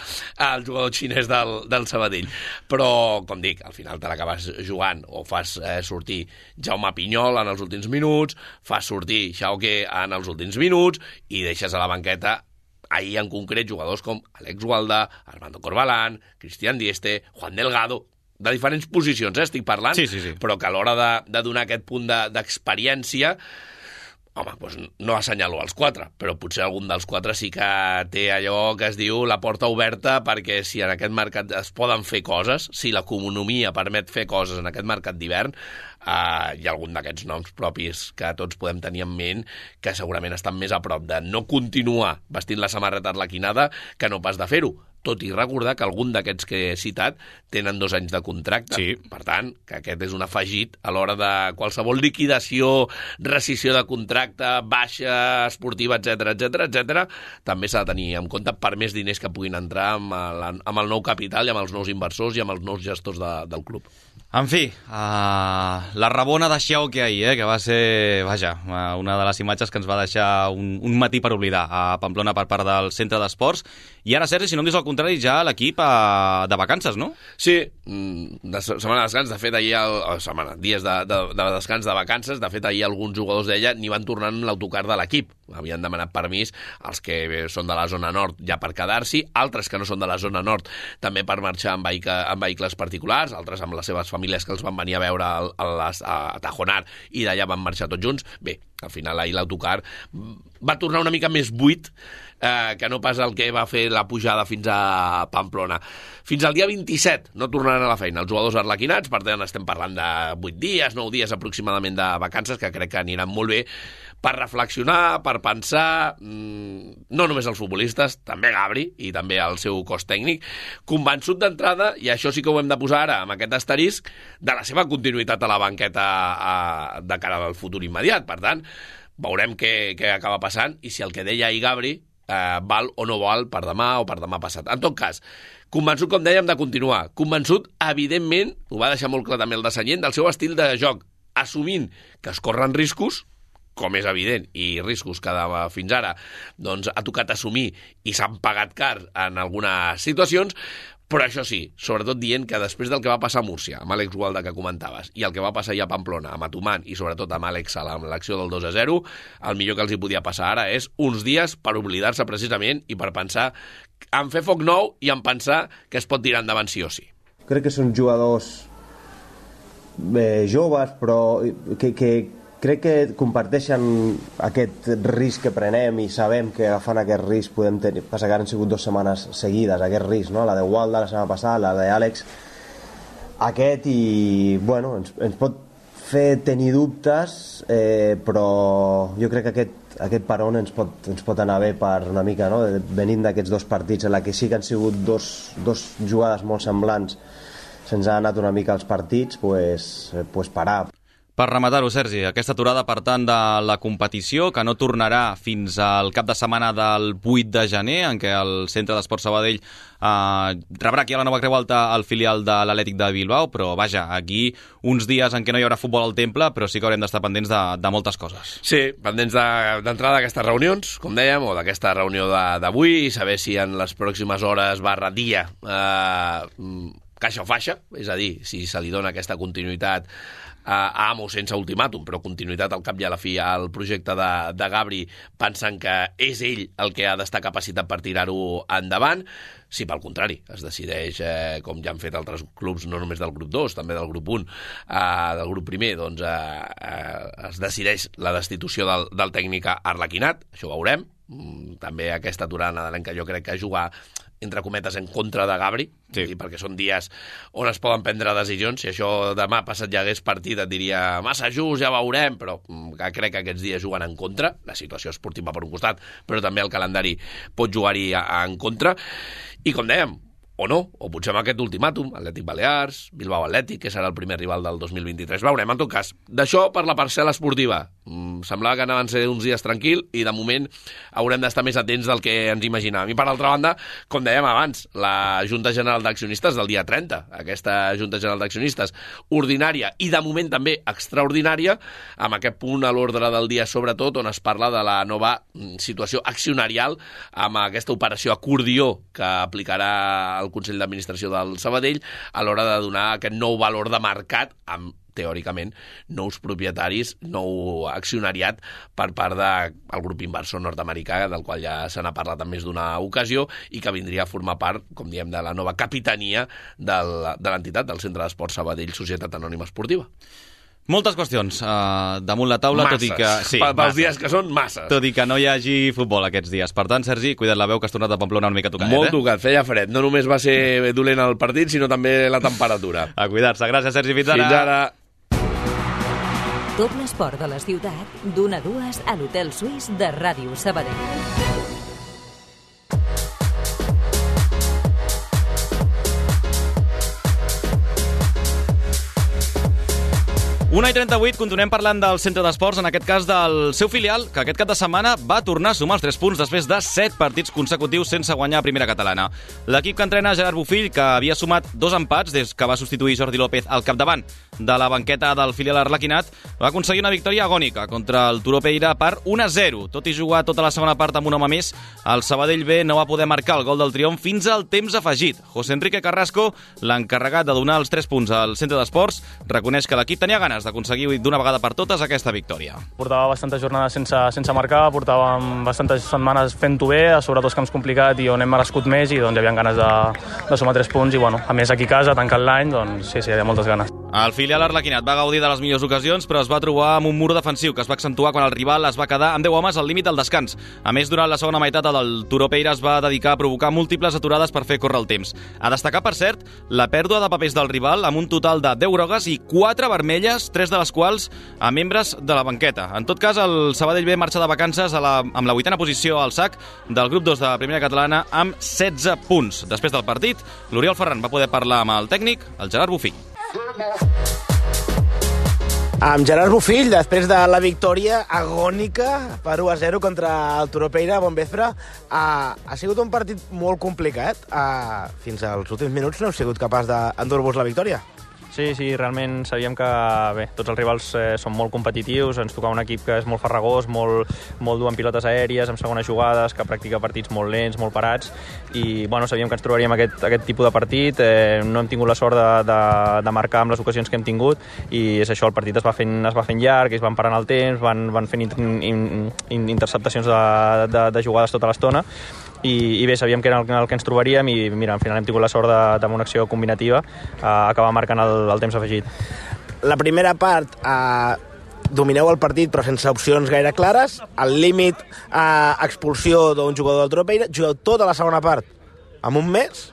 el jugador xinès del Sabadell. Però, com dic, al final te l'acabes jugant o fas sortir Jaume Pinyol en els últims minuts, fas sortir Xauque en els últims minuts i deixes a la banqueta ahir en concret jugadors com Alex Gualda, Armando Corbalán, Cristian Dieste, Juan Delgado, de diferents posicions, estic parlant, però que a l'hora de donar aquest punt d'experiència, home, doncs no assenyalo els 4, però potser algun dels 4 sí que té allò que es diu la porta oberta, perquè si en aquest mercat es poden fer coses, si l'economia permet fer coses en aquest mercat d'hivern, hi ha algun d'aquests noms propis que tots podem tenir en ment que segurament estan més a prop de no continuar vestint la samarreta arlequinada que no pas de fer-ho. Tot i recordar que algun d'aquests que he citat tenen 2 anys de contracte. Sí. Per tant, que aquest és un afegit a l'hora de qualsevol liquidació, rescissió de contracte, baixa esportiva, etc, també s'ha de tenir en compte per més diners que puguin entrar amb el nou capital i amb els nous inversors i amb els nous gestors del club. En fi, la rabona de Xauque ahir, que va ser, una de les imatges que ens va deixar un matí per oblidar a Pamplona per part del centre d'esports. I ara, Sergi, si no em dius el contrari, ja l'equip de vacances, no? Sí, setmana de descans, de fet, dies de descans de vacances, de fet, ahir alguns jugadors d'ella n'hi van tornar en l'autocar de l'equip. Havien demanat permís els que són de la zona nord ja per quedar-s'hi, altres que no són de la zona nord també per marxar amb vehicles particulars, altres amb les seves famílies que els van venir a veure a Tajonar i d'allà van marxar tots junts. Bé, al final ahir l'autocar va tornar una mica més buit que no pas el que va fer la pujada fins a Pamplona. Fins al dia 27 no tornaran a la feina els jugadors arlequinats, per tant estem parlant de 8 dies, 9 dies aproximadament de vacances, que crec que aniran molt bé per reflexionar, per pensar, no només els futbolistes, també Gabri i també el seu cos tècnic, convençut d'entrada, i això sí que ho hem de posar ara amb aquest asterisc, de la seva continuïtat a la banqueta de cara al futur immediat. Per tant, veurem què acaba passant i si el que deia ahir Gabri val o no val per demà o per demà passat. En tot cas, convençut, com dèiem, de continuar. Convençut, evidentment, ho va deixar molt clar també el de Sanyent, del seu estil de joc, assumint que es corren riscos, com és evident, i riscos que fins ara doncs, ha tocat assumir i s'han pagat car en algunes situacions, però això sí, sobretot dient que després del que va passar a Múrcia, amb Àlex Gualda que comentaves, i el que va passar ja a Pamplona, amb Atumán i sobretot amb Àlex Sala, amb l'acció del 2-0, el millor que els hi podia passar ara és uns dies per oblidar-se precisament i per pensar en fer foc nou i en pensar que es pot tirar endavant sí o sí. Crec que són jugadors joves, però que crec que comparteixen aquest risc que prenem i sabem que agafant aquest risc podem tenir, passa que han sigut 2 setmanes seguides, aquest risc, no? La de Walda la setmana passada, la d'Àlex aquest, i bueno, ens pot fer tenir dubtes, però jo crec que aquest peron ens pot anar bé per una mica, no? Venint d'aquests 2 partits en la que sí que han sigut dos jugades molt semblants, se'ns ha anat una mica els partits, pues parar. Per rematar-ho, Sergi, aquesta aturada, per tant, de la competició, que no tornarà fins al cap de setmana del 8 de gener, en què el Centre d'Esports Sabadell rebrà aquí a la Nova Creu Alta el filial de l'Atlètic de Bilbao, però vaja, aquí uns dies en què no hi haurà futbol al Temple, però sí que haurem d'estar pendents de moltes coses. Sí, pendents d'entrada d'aquestes reunions, com dèiem, o d'aquesta reunió d'avui, i saber si en les pròximes hores /dia caixa o faixa, és a dir, si se li dona aquesta continuïtat a Amo sense ultimàtum, però continuïtat al cap i a la fi al projecte de Gabri, pensant que és ell el que ha d'estar capacitat per tirar-ho endavant. Si pel contrari es decideix, com ja han fet altres clubs, no només del grup 2, també del grup 1, del grup primer, doncs es decideix la destitució del tècnic arlequinat, això ho veurem. També aquesta aturada nadalenca jo crec que jugar entre cometes en contra de Gabri, sí. Perquè són dies on es poden prendre decisions. Si això demà passat ja hagués partit et diria massa just, ja veurem, però crec que aquests dies juguen en contra, la situació esportiva per un costat, però també el calendari pot jugar-hi en contra, i com dèiem, o no, o potser amb aquest ultimàtum, Atlètic Balears, Bilbao Atlètic, que serà el primer rival del 2023. Veurem, en tot cas, d'això per la parcel·la esportiva. semblava que anaven a ser uns dies tranquil i de moment haurem d'estar més atents del que ens imaginàvem. I per altra banda, com dèiem abans, la Junta General d'Accionistes del dia 30, aquesta Junta General d'Accionistes ordinària i de moment també extraordinària, amb aquest punt a l'ordre del dia sobretot on es parla de la nova situació accionarial amb aquesta operació acordió que aplicarà el Consell d'Administració del Sabadell a l'hora de donar aquest nou valor de mercat amb, teòricament, nous propietaris, nou accionariat per part del grup inversor nord-americà, del qual ja se n'ha parlat en més d'una ocasió i que vindria a formar part, com diem, de la nova capitania de l'entitat, del Centre d'Esports Sabadell Societat Anònima Esportiva. Moltes qüestions damunt la taula, masses. tot i que... Sí, pels dies que són, masses. Tot i que no hi hagi futbol aquests dies. Per tant, Sergi, cuida't la veu, que has tornat a Pamplona una mica tocat. Molt tocat, feia fred. No només va ser dolent el partit, sinó també la temperatura. A cuidar-se. Gràcies, Sergi. Fins ara. Fins ara. Tot l'esport de la ciutat, d'1 a 2 a l'Hotel Suís de Ràdio Sabadell. 1:38, continuem parlant del centre d'esports, en aquest cas del seu filial, que aquest cap de setmana va tornar a sumar els 3 punts després de 7 partits consecutius sense guanyar a primera catalana. L'equip que entrena Gerard Bofill, que havia sumat 2 empats des que va substituir Jordi López al capdavant de la banqueta del filial arlequinat, va aconseguir una victòria agònica contra el Turó Peira per 1-0. Tot i jugar tota la segona part amb un home més, el Sabadell B no va poder marcar el gol del triomf fins al temps afegit. José Enrique Carrasco, l'encarregat de donar els 3 punts al centre d'esports, reconeix que l'equip tenia ganes d'aconseguir d'una vegada per totes aquesta victòria. Portava bastantes jornades sense marcar, portàvem bastantes setmanes fent-ho bé, a sobre 2 camps complicats i on hem merescut més i doncs hi havia ganes de sumar 3 punts i bueno, a més aquí a casa, tancant l'any, doncs sí, hi havia moltes ganes. El filial arlequinat va gaudir de les millors ocasions, però es va trobar amb un mur defensiu que es va accentuar quan el rival es va quedar amb 10 homes al límit del descans. A més, durant la segona meitat, el Turó Peira es va dedicar a provocar múltiples aturades per fer córrer el temps. A destacar, per cert, la pèrdua de papers del rival amb un total de 10 grogues i 4 vermelles, 3 de les quals a membres de la banqueta. En tot cas, el Sabadell B marxa de vacances amb la 8a posició al sac del grup 2 de la primera catalana amb 16 punts. Després del partit, l'Oriol Ferran va poder parlar amb el tècnic, el Gerard Bofill. Amb Gerard Bofill, després de la victòria agònica per 1-0 contra el Turó Peira, bon vespre, ha sigut un partit molt complicat. Fins als últims minuts no heu sigut capaç d'endur-vos la victòria. Sí, realment sabíem que bé, tots els rivals són molt competitius, ens tocava un equip que és molt farragós, molt dur en pilotes aèries, amb segones jugades, que practica partits molt lents, molt parats, i bueno, sabíem que ens trobaríem aquest tipus de partit, no hem tingut la sort de marcar amb les ocasions que hem tingut, i és això, el partit es va fent llarg, es van parant el temps, van fent interceptacions de jugades tota l'estona, i bé, sabíem que era el que ens trobaríem i mira, al final hem tingut la sort amb una acció combinativa acabar marcant el temps afegit. La primera part domineu el partit però sense opcions gaire clares, al límit expulsió d'un jugador del Turó Peira, jugueu tota la segona part amb un mes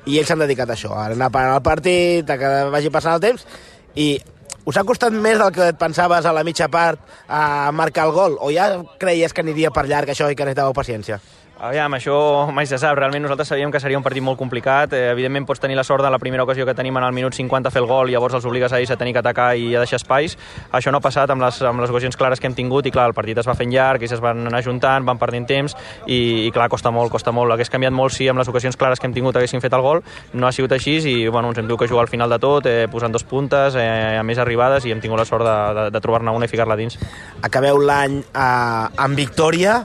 i ells s'han dedicat a això, a anar parant el partit, a que vagi passant el temps, i us ha costat més del que et pensaves a la mitja part a marcar el gol, o ja creies que aniria per llarg això i que necessitàveu paciència? Aviam, això mai se sap. Realment nosaltres sabíem que seria un partit molt complicat. Evidentment pots tenir la sort de la primera ocasió que tenim en el minut 50 a fer el gol i llavors els obligues a ells a tenir que atacar i a deixar espais. Això no ha passat amb les ocasions clares que hem tingut i clar, el partit es va fent llarg, ells es van anar juntant, van perdent temps i clar, costa molt. Hagués canviat molt si amb les ocasions clares que hem tingut haguéssim fet el gol. No ha sigut així i bueno, ens hem tingut que jugar al final de tot, posant 2 puntes, a més arribades, i hem tingut la sort de trobar-ne una i ficar-la dins. Acabeu l'any amb victòria.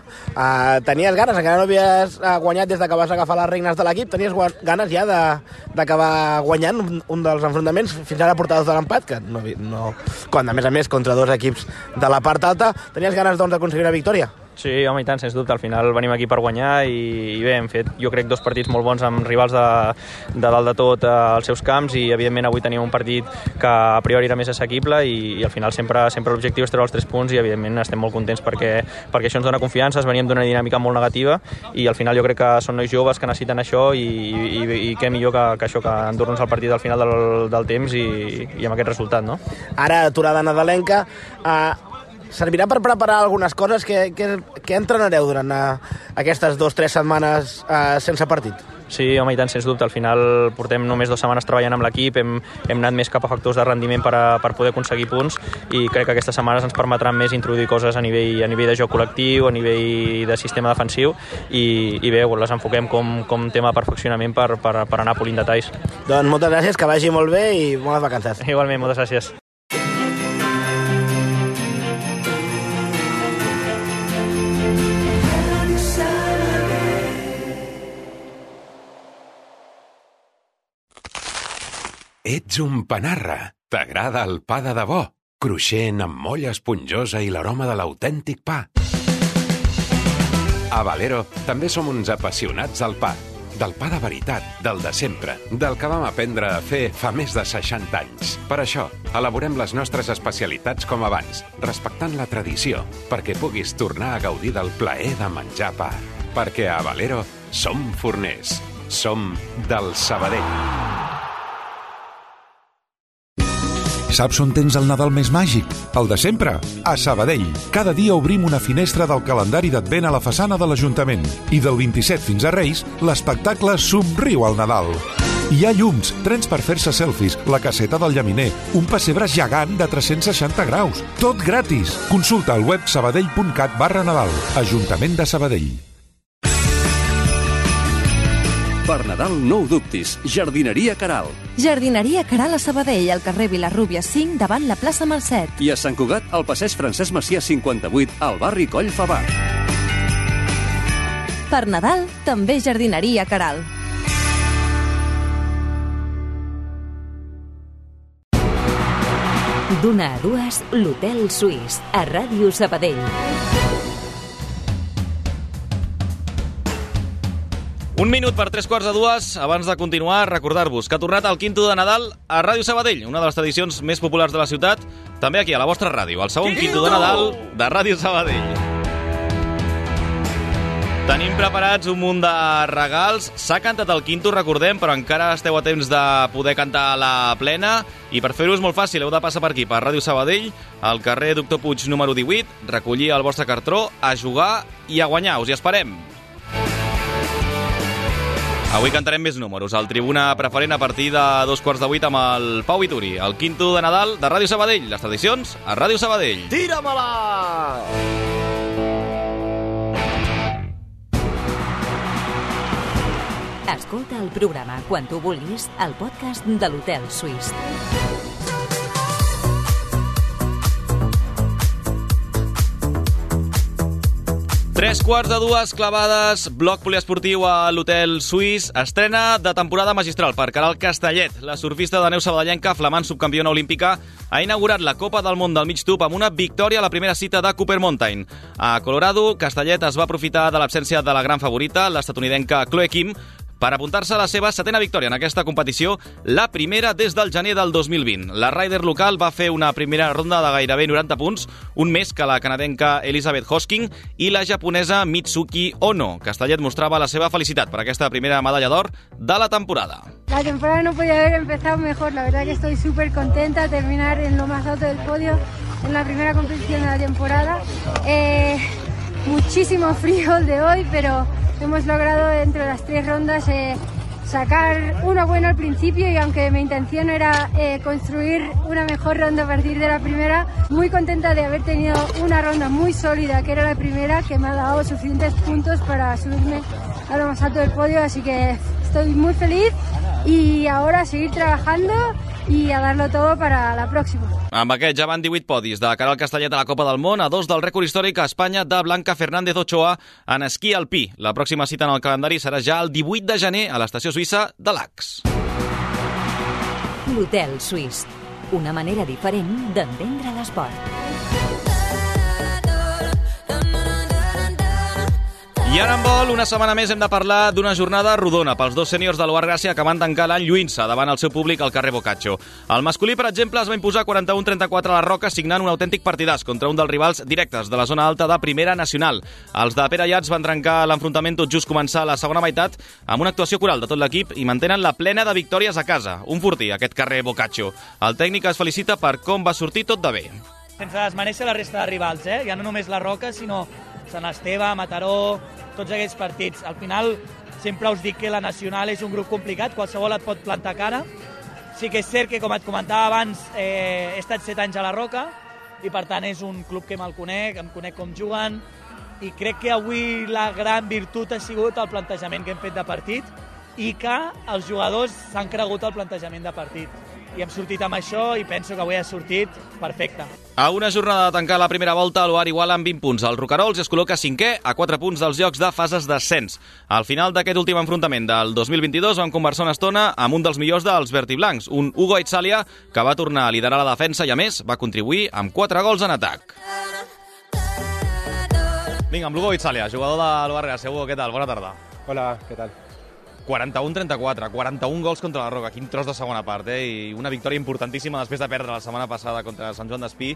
Tenies ganes, encara no havies guanyat des que vas agafar les regnes de l'equip, tenies ganes ja d'acabar guanyant un dels enfrontaments, fins ara portades de l'empat, que no, quan a més contra 2 equips de la part alta, tenies ganes doncs d'aconseguir una victòria? Sí, home, i tant, sens dubte. Al final venim aquí per guanyar i bé, hem fet, jo crec, 2 partits molt bons amb rivals de dalt de tot als seus camps i, evidentment, avui teníem un partit que a priori era més assequible i al final sempre l'objectiu és treure els 3 punts i, evidentment, estem molt contents perquè això ens dona confiança, veníem d'una dinàmica molt negativa i al final jo crec que són nois joves que necessiten això i què millor que això, que endur-nos el partit al final del temps i amb aquest resultat, no? Ara, aturada nadalenca, servirà per preparar algunes coses que entrenareu durant aquestes 2 o 3 setmanes sense partit? Sí, home, i tant, sens dubte. Al final portem només 2 setmanes treballant amb l'equip, hem anat més cap a factors de rendiment per poder aconseguir punts i crec que aquestes setmanes ens permetran més introduir coses a nivell de joc col·lectiu, a nivell de sistema defensiu i bé, les enfoquem com tema de perfeccionament per anar polint detalls. Doncs moltes gràcies, que vagi molt bé i bones vacances. Igualment, moltes gràcies. Ets un panarra. T'agrada el pa de debò, cruixent amb molla esponjosa i l'aroma de l'autèntic pa. A Valero també som uns apassionats del pa. Del pa de veritat, del de sempre, del que vam aprendre a fer fa més de 60 anys. Per això, elaborem les nostres especialitats com abans, respectant la tradició, perquè puguis tornar a gaudir del plaer de menjar pa. Perquè a Valero som forners. Som del Sabadell. Saps on tens el Nadal més màgic? El de sempre, a Sabadell. Cada dia obrim una finestra del calendari d'Advent a la façana de l'Ajuntament. I del 27 fins a Reis, l'espectacle Somriu al Nadal. Hi ha llums, trens per fer-se selfies, la caseta del llaminer, un pessebre gegant de 360 graus. Tot gratis. Consulta al web sabadell.cat/Nadal. Ajuntament de Sabadell. Per Nadal no ho dubtis, Jardineria Caral. Jardineria Caral a Sabadell, al carrer Vilarrúbia 5, davant la plaça Mercet. I a Sant Cugat, al passeig Francesc Macià 58, al barri Coll Favar. Per Nadal, també Jardineria Caral. D'una a dues, l'Hotel Suís, a Ràdio Sabadell. Un minut per 3:15. Abans de continuar, recordar-vos que ha tornat el Quinto de Nadal a Ràdio Sabadell, una de les tradicions més populars de la ciutat, també aquí a la vostra ràdio, el segon Quinto de Nadal de Ràdio Sabadell. Tenim preparats un munt de regals. S'ha cantat el Quinto, recordem, però encara esteu a temps de poder cantar a la plena. I per fer-ho és molt fàcil, heu de passar per aquí, per Ràdio Sabadell, al carrer Doctor Puig número 18, recollir el vostre cartró, a jugar i a guanyar. Us hi esperem. Avui cantarem més números. Al Tribuna Preferent a partir de 7:45 amb el Pau Vituri. El Quinto de Nadal de Ràdio Sabadell. Les tradicions a Ràdio Sabadell. Tira-me-la! Escolta el programa quan tu vulguis al podcast de l'Hotel Suís. 3:15 clavades, bloc poliesportiu a l'Hotel Suís. Estrena de temporada magistral per Caral Castellet. La surfista de neu sabadellenca, flamant subcampiona olímpica, ha inaugurat la Copa del Món del mig tub amb una victòria a la primera cita de Cooper Mountain. A Colorado, Castellet es va aprofitar de l'absència de la gran favorita, l'estatunidenca Chloe Kim, per apuntar-se a la seva 7ª victòria en aquesta competició, la primera des del gener del 2020. La rider local va fer una primera ronda de gairebé 90 punts, un més que la canadenca Elizabeth Hosking i la japonesa Mitsuki Ono. Castellet mostrava la seva felicitat per aquesta primera medalla d'or de la temporada. La temporada no podía haber empezado mejor, la verdad que estoy súper contenta de terminar en lo más alto del podio en la primera competición de la temporada. Muchísimo frío el de hoy, pero hemos logrado entre las 3 rondas sacar una buena al principio y aunque mi intención era construir una mejor ronda a partir de la primera, muy contenta de haber tenido una ronda muy sólida que era la primera, que me ha dado suficientes puntos para subirme a lo más alto del podio, así que estoy muy feliz y ahora a seguir trabajando i a dar-lo todo para la próxima. Amb aquest ja van 18 podis de Caral Castellet a la Copa del Món, a 2 del rècord històric a Espanya de Blanca Fernández Ochoa en esquí alpí. La pròxima cita en el calendari serà ja el 18 de gener a l'estació suïssa de Lacs. L'Hotel Suís, una manera diferent d'entendre l'esport. I ara en vol, una setmana més hem de parlar d'una jornada rodona pels dos sèniors de l'Oar Gràcia que van tancar l'any lluint-se davant el seu públic al carrer Boccaccio. El masculí, per exemple, es va imposar 41-34 a la Roca, signant un autèntic partidàs contra un dels rivals directes de la zona alta de Primera Nacional. Els de Pere Llats van trencar l'enfrontament tot just començar la segona meitat amb una actuació coral de tot l'equip i mantenen la plena de victòries a casa. Un fortí, aquest carrer Boccaccio. El tècnic es felicita per com va sortir tot de bé. Sense desmereixer la resta de rivals, ja no només la Roca, sinó Sant Esteve, Mataró, tots aquests partits. Al final sempre us dic que la Nacional és un grup complicat, qualsevol et pot plantar cara. Sí que és cert que, com et comentava abans, he estat 7 anys a la Roca i, per tant, és un club que me'l conec, em conec com juguen, i crec que avui la gran virtut ha sigut el plantejament que hem fet de partit i que els jugadors s'han cregut el plantejament de partit. I hem sortit amb això i penso que avui ha sortit perfecte. A una jornada de tancar la primera volta, l'Oar iguala amb 20 punts. El Roquerols es col·loca 5è a 4 punts dels llocs de fases d'ascens. Al final d'aquest últim enfrontament del 2022 vam conversar una estona amb un dels millors dels vertiblancs, un Hugo Itzalia, que va tornar a liderar la defensa i, a més, va contribuir amb 4 gols en atac. Vinga, amb l'Hugo Itzalia, jugador de l'Oar Gràcia. Hugo, què tal? Bona tarda. Hola, què tal? 41-34, 41 gols contra la Roca, quin tros de segona part, i una victòria importantíssima després de perdre la setmana passada contra Sant Joan d'Espí.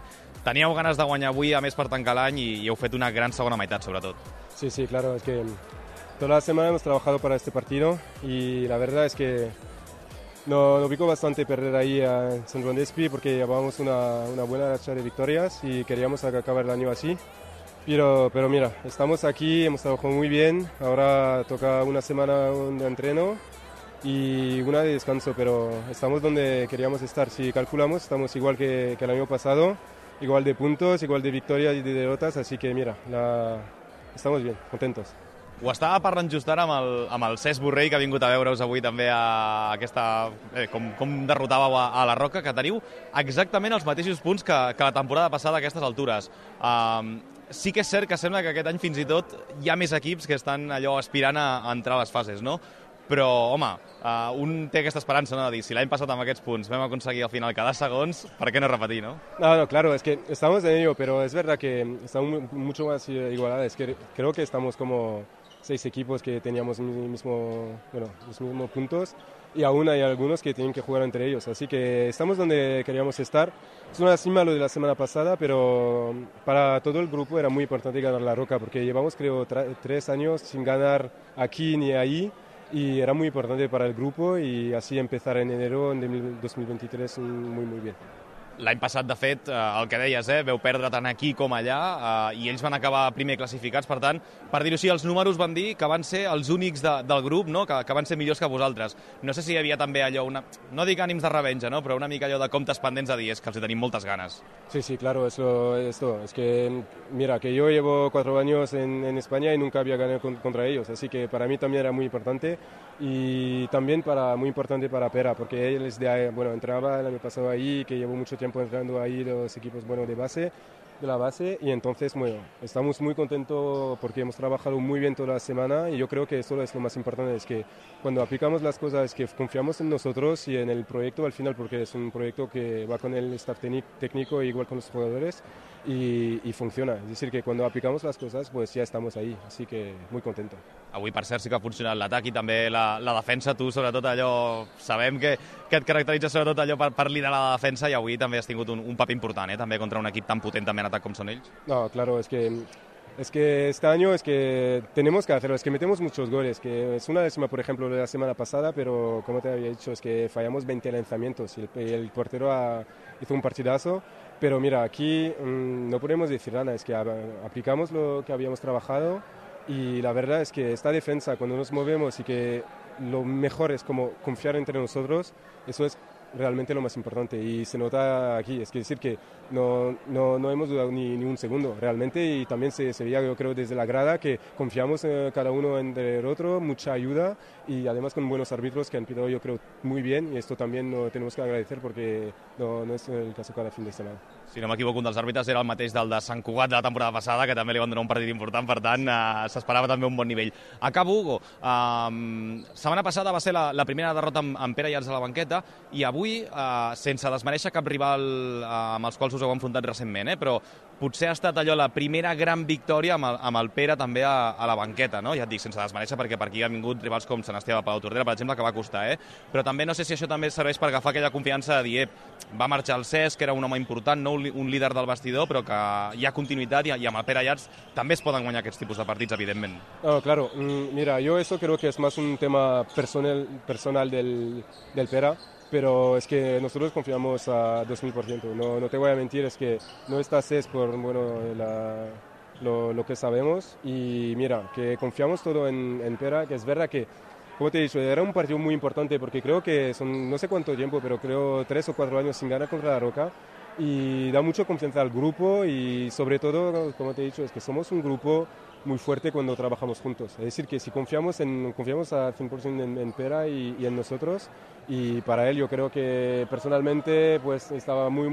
Teníeu ganes de guanyar avui, a més, per tancar l'any, i heu fet una gran segona meitat, sobretot. Sí, claro, es que toda la semana hemos trabajado para este partido y la verdad es que nos picó bastante perder ahí a Sant Joan d'Espí porque llevábamos una buena racha de victorias y queríamos acabar el año así. Pero mira, estamos aquí, hemos trabajado muy bien, ahora toca una semana de entreno y una de descanso, pero estamos donde queríamos estar. Si calculamos, estamos igual que el año pasado, igual de puntos, igual de victorias y de derrotas, así que mira, estamos bien, contentos. Ho estava parlant just ara amb el Cesc Borrell, que ha vingut a veure-us avui també a aquesta... com derrotàveu a la Roca, que teniu exactament els mateixos punts que la temporada passada a aquestes altures. Sí que és cert que sembla que aquest any fins i tot hi ha més equips que estan allò aspirant a entrar a les fases, no? Però, home, un té aquesta esperança, no?, de dir, si l'any passat amb aquests punts vam aconseguir al final quedar segons, per què no repetir, no? No, claro, es que estamos en ello, pero es verdad que estamos mucho más igualados. Es que creo que estamos como 6 equipos que teníamos los mismos puntos y aún hay algunos que tienen que jugar entre ellos. Así que estamos donde queríamos estar. Es una cima lo de la semana pasada, pero para todo el grupo era muy importante ganar la Roca porque llevamos, creo, 3 años sin ganar aquí ni ahí y era muy importante para el grupo y así empezar en enero en 2023 muy bien. L'any passat, de fet, el que deies, veu perdre tant aquí com allà, i ells van acabar primer classificats. Per tant, per dir-ho així, els números van dir que van ser els únics del grup, no?, que van ser millors que vosaltres. No sé si hi havia també allò, no dic ànims de revenja, no?, però una mica allò de comptes pendents de dir, és que els hi tenim moltes ganes. Sí, claro, esto. Es que, mira, que yo llevo 4 años en España y nunca había ganado contra ellos, así que para mí también era muy importante y también muy importante para Pera, porque él es entraba el año pasado ahí, que llevo mucho tiempo entrando ahí los equipos de la base y entonces estamos muy contentos porque hemos trabajado muy bien toda la semana y yo creo que eso es lo más importante, es que cuando aplicamos las cosas es que confiamos en nosotros y en el proyecto al final, porque es un proyecto que va con el staff técnico igual con los jugadores y funciona, es decir que cuando aplicamos las cosas pues ya estamos ahí, así que muy contento. Avui, per cert, sí que ha funcionat l'atac i també la defensa. Tu, sobretot, allò, sabem que et caracteritza sobretot allò per liderar la defensa, i avui també has tingut un paper important, també contra un equip tan potent també en atac com són ells. No, claro, es que este año es que tenemos que hacerlo, es que metemos muchos goles, que es una décima, por ejemplo, de la semana pasada, pero como te había dicho, es que fallamos 20 lanzamientos y el portero hizo un partidazo, pero mira, aquí no podemos decir nada, es que aplicamos lo que habíamos trabajado y la verdad es que esta defensa, cuando nos movemos y que lo mejor es como confiar entre nosotros, eso es realmente lo más importante y se nota aquí, es decir que no hemos dudado ni un segundo realmente, y también se veía, yo creo, desde la grada que confiamos cada uno entre el otro, mucha ayuda y además con buenos árbitros que han pitado, yo creo, muy bien, y esto también lo tenemos que agradecer porque no es el caso cada fin de semana. Si no m'equivoco, un dels àrbitres era el mateix del de Sant Cugat de la temporada passada, que també li van donar un partit important, per tant, s'esperava també un bon nivell. Acabo, Hugo. Setmana passada va ser la primera derrota amb Pere Iats a la banqueta, i avui, sense desmereixer cap rival amb els quals us heu enfrontat recentment, però potser ha estat allò la primera gran victòria amb el Pere també a la banqueta, no? Ja et dic, sense desmereixer, perquè per aquí han vingut rivals com Sant Esteve de Palautordera, per exemple, que va costar, però també no sé si això també serveix per agafar aquella confiança de dir, va marxar el Cesc, que era un home important, no un líder del vestidor, però que hi ha continuïtat, i amb el Pere Iats també es poden guanyar aquests tipus de partits, evidentment. No, claro, mira, yo eso creo que es más un tema personal del Pera, pero es que nosotros confiamos a 2000%, no te voy a mentir, es que no está Cesc por lo que sabemos y mira, que confiamos todo en Pera, que es verdad que, como te he dicho, era un partido muy importante porque creo que son no sé cuánto tiempo, pero creo 3 o 4 años sin ganar contra la Roca y da mucho confianza al grupo y sobre todo, como te he dicho, es que somos un grupo muy fuerte cuando trabajamos juntos. Es decir, que si confiamos al 100% en Pera y en nosotros, y para él yo creo que personalmente pues estaba muy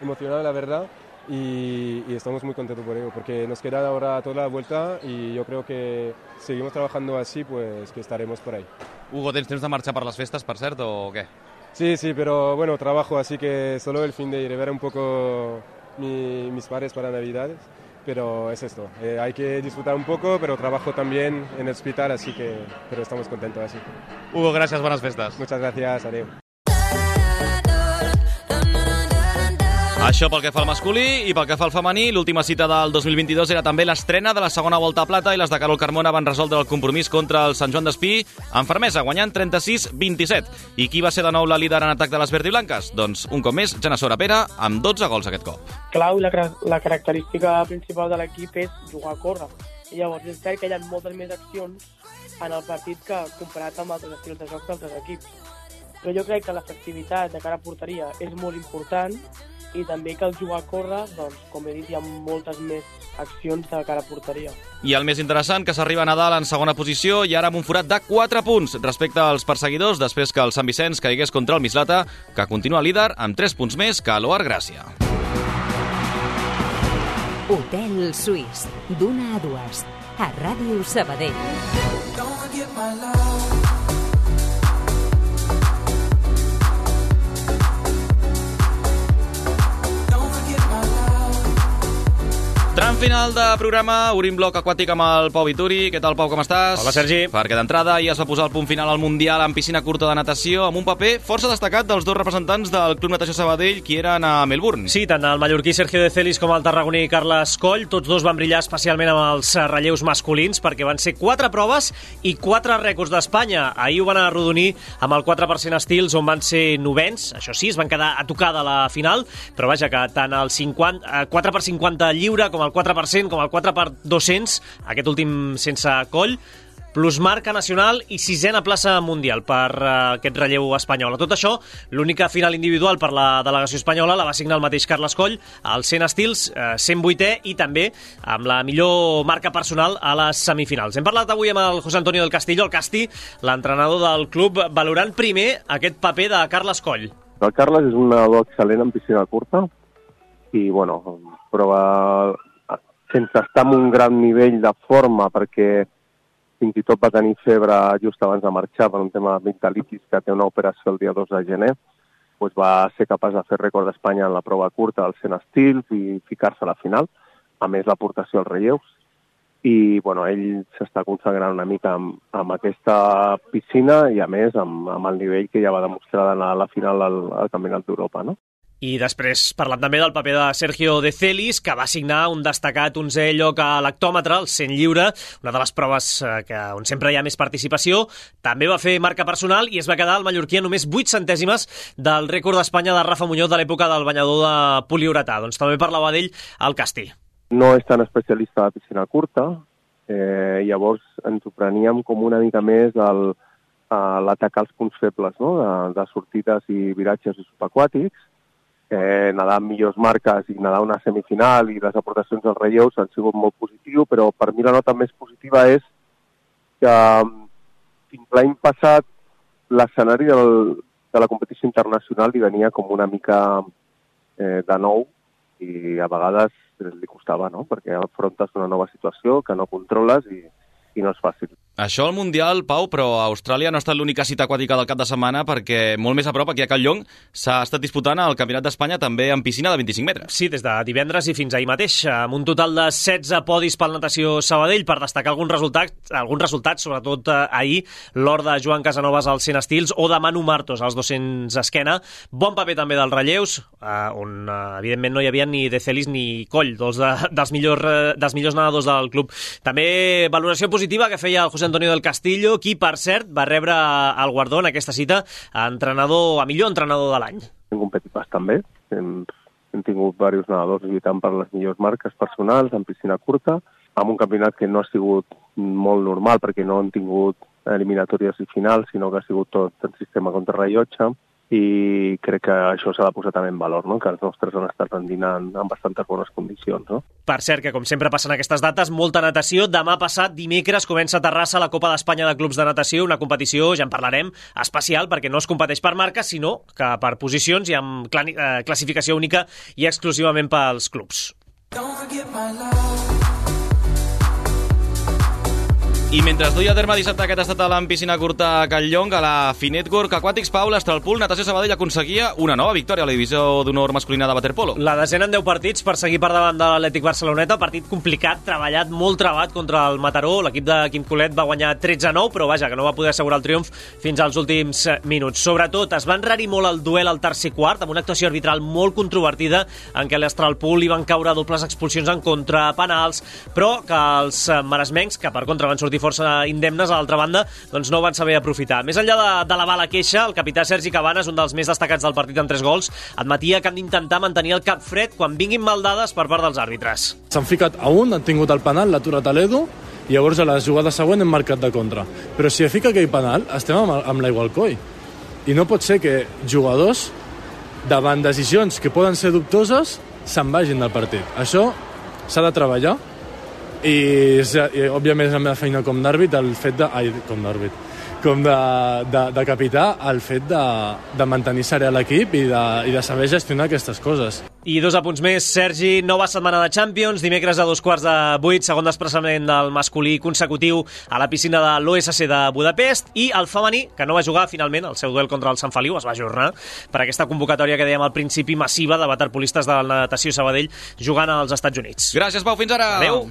emocionado, la verdad, y estamos muy contentos por ello, porque nos queda ahora toda la vuelta y yo creo que seguimos trabajando así, pues que estaremos por ahí. Hugo, tens temps de marxar per les festes, per cert, o què? Sí, pero bueno, trabajo, así que solo el fin de ir a ver un poco mis padres para Navidades, pero es esto, hay que disfrutar un poco, pero trabajo también en el hospital, así que, pero estamos contentos así. Hugo, gràcies, bones festes. Muchas gracias, adeu. Això pel que fa al masculí i pel que fa al femení, l'última cita del 2022 era també l'estrena de la segona volta a plata i les de Carol Carmona van resoldre el compromís contra el Sant Joan d'Espí amb fermesa, guanyant 36-27. I qui va ser de nou la líder en atac de les verdiblanques? Doncs, un cop més, Jana Sora Pera, amb 12 gols aquest cop. Clau, la característica principal de l'equip és jugar a córrer. I llavors és cert que hi ha moltes més accions en el partit que comparat amb altres estils de joc d'altres equips. Però jo crec que l'efectivitat de cara a porteria és molt important i també que el jugar a córrer, doncs, com he dit, hi ha moltes més accions de cara a porteria. I el més interessant, que s'arriba a Nadal en segona posició i ara amb un forat de 4 punts respecte als perseguidors després que el Sant Vicenç caigués contra el Mislata, que continua líder amb 3 punts més que l'Oar Gràcia. Hotel Suís, d'una a 2, a Ràdio Sabadell. Tram final de programa, obrim bloc aquàtic amb el Pau Vituri. Què tal, Pau, com estàs? Hola, Sergi. Perquè d'entrada ja es va posar el punt final al Mundial en piscina curta de natació amb un paper força destacat dels dos representants del Club Natació Sabadell qui eren a Melbourne. Sí, tant el mallorquí Sergio de Celis com el tarragoní Carles Coll, tots dos van brillar especialment amb els relleus masculins perquè van ser 4 proves i 4 rècords d'Espanya. Ahir ho van arrodonir amb el 4% estils on van ser novens, això sí, es van quedar a tocar de la final, però vaja que tant el 4x50 lliure com el 4%, com el 4x200, aquest últim sense Coll, plus marca nacional i 6a plaça mundial per aquest relleu espanyol. A tot això, l'única final individual per la delegació espanyola la va signar el mateix Carles Coll, al 100 estils, 108è i també amb la millor marca personal a les semifinals. Hem parlat avui amb el José Antonio del Castillo, el Casti, l'entrenador del club, valorant primer aquest paper de Carles Coll. El Carles és un nedador excel·lent en piscina curta i, bueno, prova sense estar en un gran nivell de forma perquè fins i tot va tenir febre just abans de marxar per un tema d'amigdalitis que té una operació el dia 2 de gener, doncs va ser capaç de fer rècord d'Espanya en la prova curta dels 100 estils i ficar-se a la final, a més l'aportació als relleus. I bueno, ell s'està consagrant una mica amb aquesta piscina i a més amb el nivell que ja va demostrar d'anar a la final al Campionat d'Europa, no? I després parlant també del paper de Sergio de Celis, que va signar un destacat 11è lloc a l'hectòmetre, el 100 lliure, una de les proves on sempre hi ha més participació. També va fer marca personal i es va quedar el mallorquí a només 8 centèsimes del rècord d'Espanya de Rafa Muñoz de l'època del banyador de poliuretà. Doncs també parlava d'ell al Castí. No és tan especialista de piscina curta, llavors ens ho preníem com una mica més l'atacar els punts febles, no? de sortides i viratges i subaquàtics. Nedar amb millors marques i nedar una semifinal i les aportacions als relleus han sigut molt positiu, però per mi la nota més positiva és que fins l'any passat l'escenari de la competició internacional li venia com una mica de nou i a vegades li costava, no? Perquè afrontes una nova situació que no controles i no és fàcil. Això al Mundial, Pau, però Austràlia no ha estat l'única cita aquàtica del cap de setmana perquè molt més a prop, aquí a Catlllong, s'ha estat disputant el Campionat d'Espanya també en piscina de 25 metres. Sí, des de divendres i fins ahir mateix, amb un total de 16 podis pel Natació Sabadell, per destacar alguns resultats, sobretot ahir, l'or de Joan Casanovas als 100 estils o de Manu Martos als 200 esquena. Bon paper també dels relleus, on evidentment no hi havia ni De Celis ni Coll, dos dels millors nedadors del club. També valoració positiva que feia el José Antonio del Castillo, qui, per cert, va rebre el guardó en aquesta cita a millor entrenador de l'any. Hem competit bastant bé, hem hem tingut diversos nedadors lluitant per les millors marques personals en piscina curta, amb un campionat que no ha sigut molt normal perquè no han tingut eliminatòries i finals, sinó que ha sigut tot en sistema contrarrellotge, i crec que això s'ha de posar també en valor, no? Que els nostres han estat rendint en bastantes bones condicions. No? Per cert, que com sempre passen aquestes dates, molta natació. Demà passat, dimecres, comença a Terrassa la Copa d'Espanya de Clubs de Natació, una competició, ja en parlarem, especial, perquè no es competeix per marques, sinó que per posicions i amb classificació única i exclusivament pels clubs. I mentre es duia a terme dissabte aquest estat en piscina curta a Calllong, a la Finetwork Aquatics, Pau, l'Astralpool Natació Sabadell aconseguia una nova victòria a la divisió d'honor masculina de waterpolo. La desena en 10 partits per seguir per davant de l'Atlètic Barceloneta, partit complicat, treballat, molt trebat contra el Mataró. L'equip de Quim Colet va guanyar 13-9, però vaja, que no va poder assegurar el triomf fins als últims minuts. Sobretot, es va enrarir molt el duel al tercer quart, amb una actuació arbitral molt controvertida, en què l'Astralpool li van caure dobles expulsions en contra, penals, però que els maresmencs, que per contra van sortir força indemnes, a l'altra banda, doncs no van saber aprofitar. Més enllà d'elevar la queixa, el capità Sergi Cabanes, un dels més destacats del partit amb 3 gols, admetia que han d'intentar mantenir el cap fred quan vinguin maldades per part dels àrbitres. S'han ficat a un, han tingut el penal, l'ha aturat a l'Edu, i llavors a la jugada següent hem marcat de contra. Però si fica aquell penal, estem amb l'aigua al coll. I no pot ser que jugadors, davant decisions que poden ser dubtoses, se'n vagin del partit. Això s'ha de treballar, i òbviament és la meva feina com d'àrbit el fet de capità, el fet de mantenir serè l'equip i de saber gestionar aquestes coses. I 2 apunts més, Sergi, nova setmana de Champions, dimecres a 7:15, segon desplaçament del masculí consecutiu a la piscina de l'OSC de Budapest, i el femení, que no va jugar finalment el seu duel contra el Sant Feliu, es va ajornar per aquesta convocatòria que dèiem al principi massiva de waterpolistes de la Natació Sabadell jugant als Estats Units. Gràcies, Pau, fins ara! Adéu!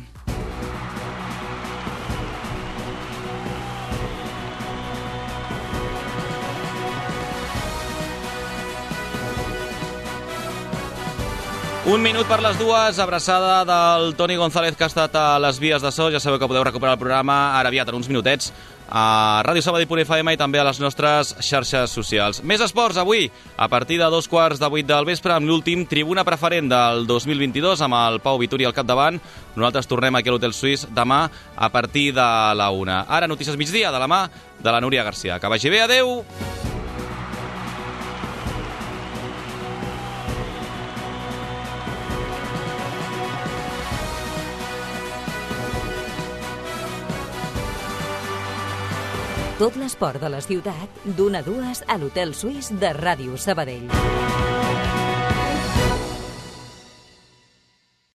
Un minut per les 2, abraçada del Toni González, que ha estat a les vies de so. Ja sabeu que podeu recuperar el programa ara aviat, en uns minutets, a radiosabadell.fm i també a les nostres xarxes socials. Més esports avui, a partir de 7:15 del vespre, amb l'últim Tribuna Preferent del 2022, amb el Pau Vituri al capdavant. Nosaltres tornem aquí a l'Hotel Suís demà a partir de la 1. Ara, notícies migdia, de la mà de la Núria Garcia. Que vagi bé, adeu! Tot l'esport de la ciutat, d'1 a 2 a l'Hotel Suís de Ràdio Sabadell.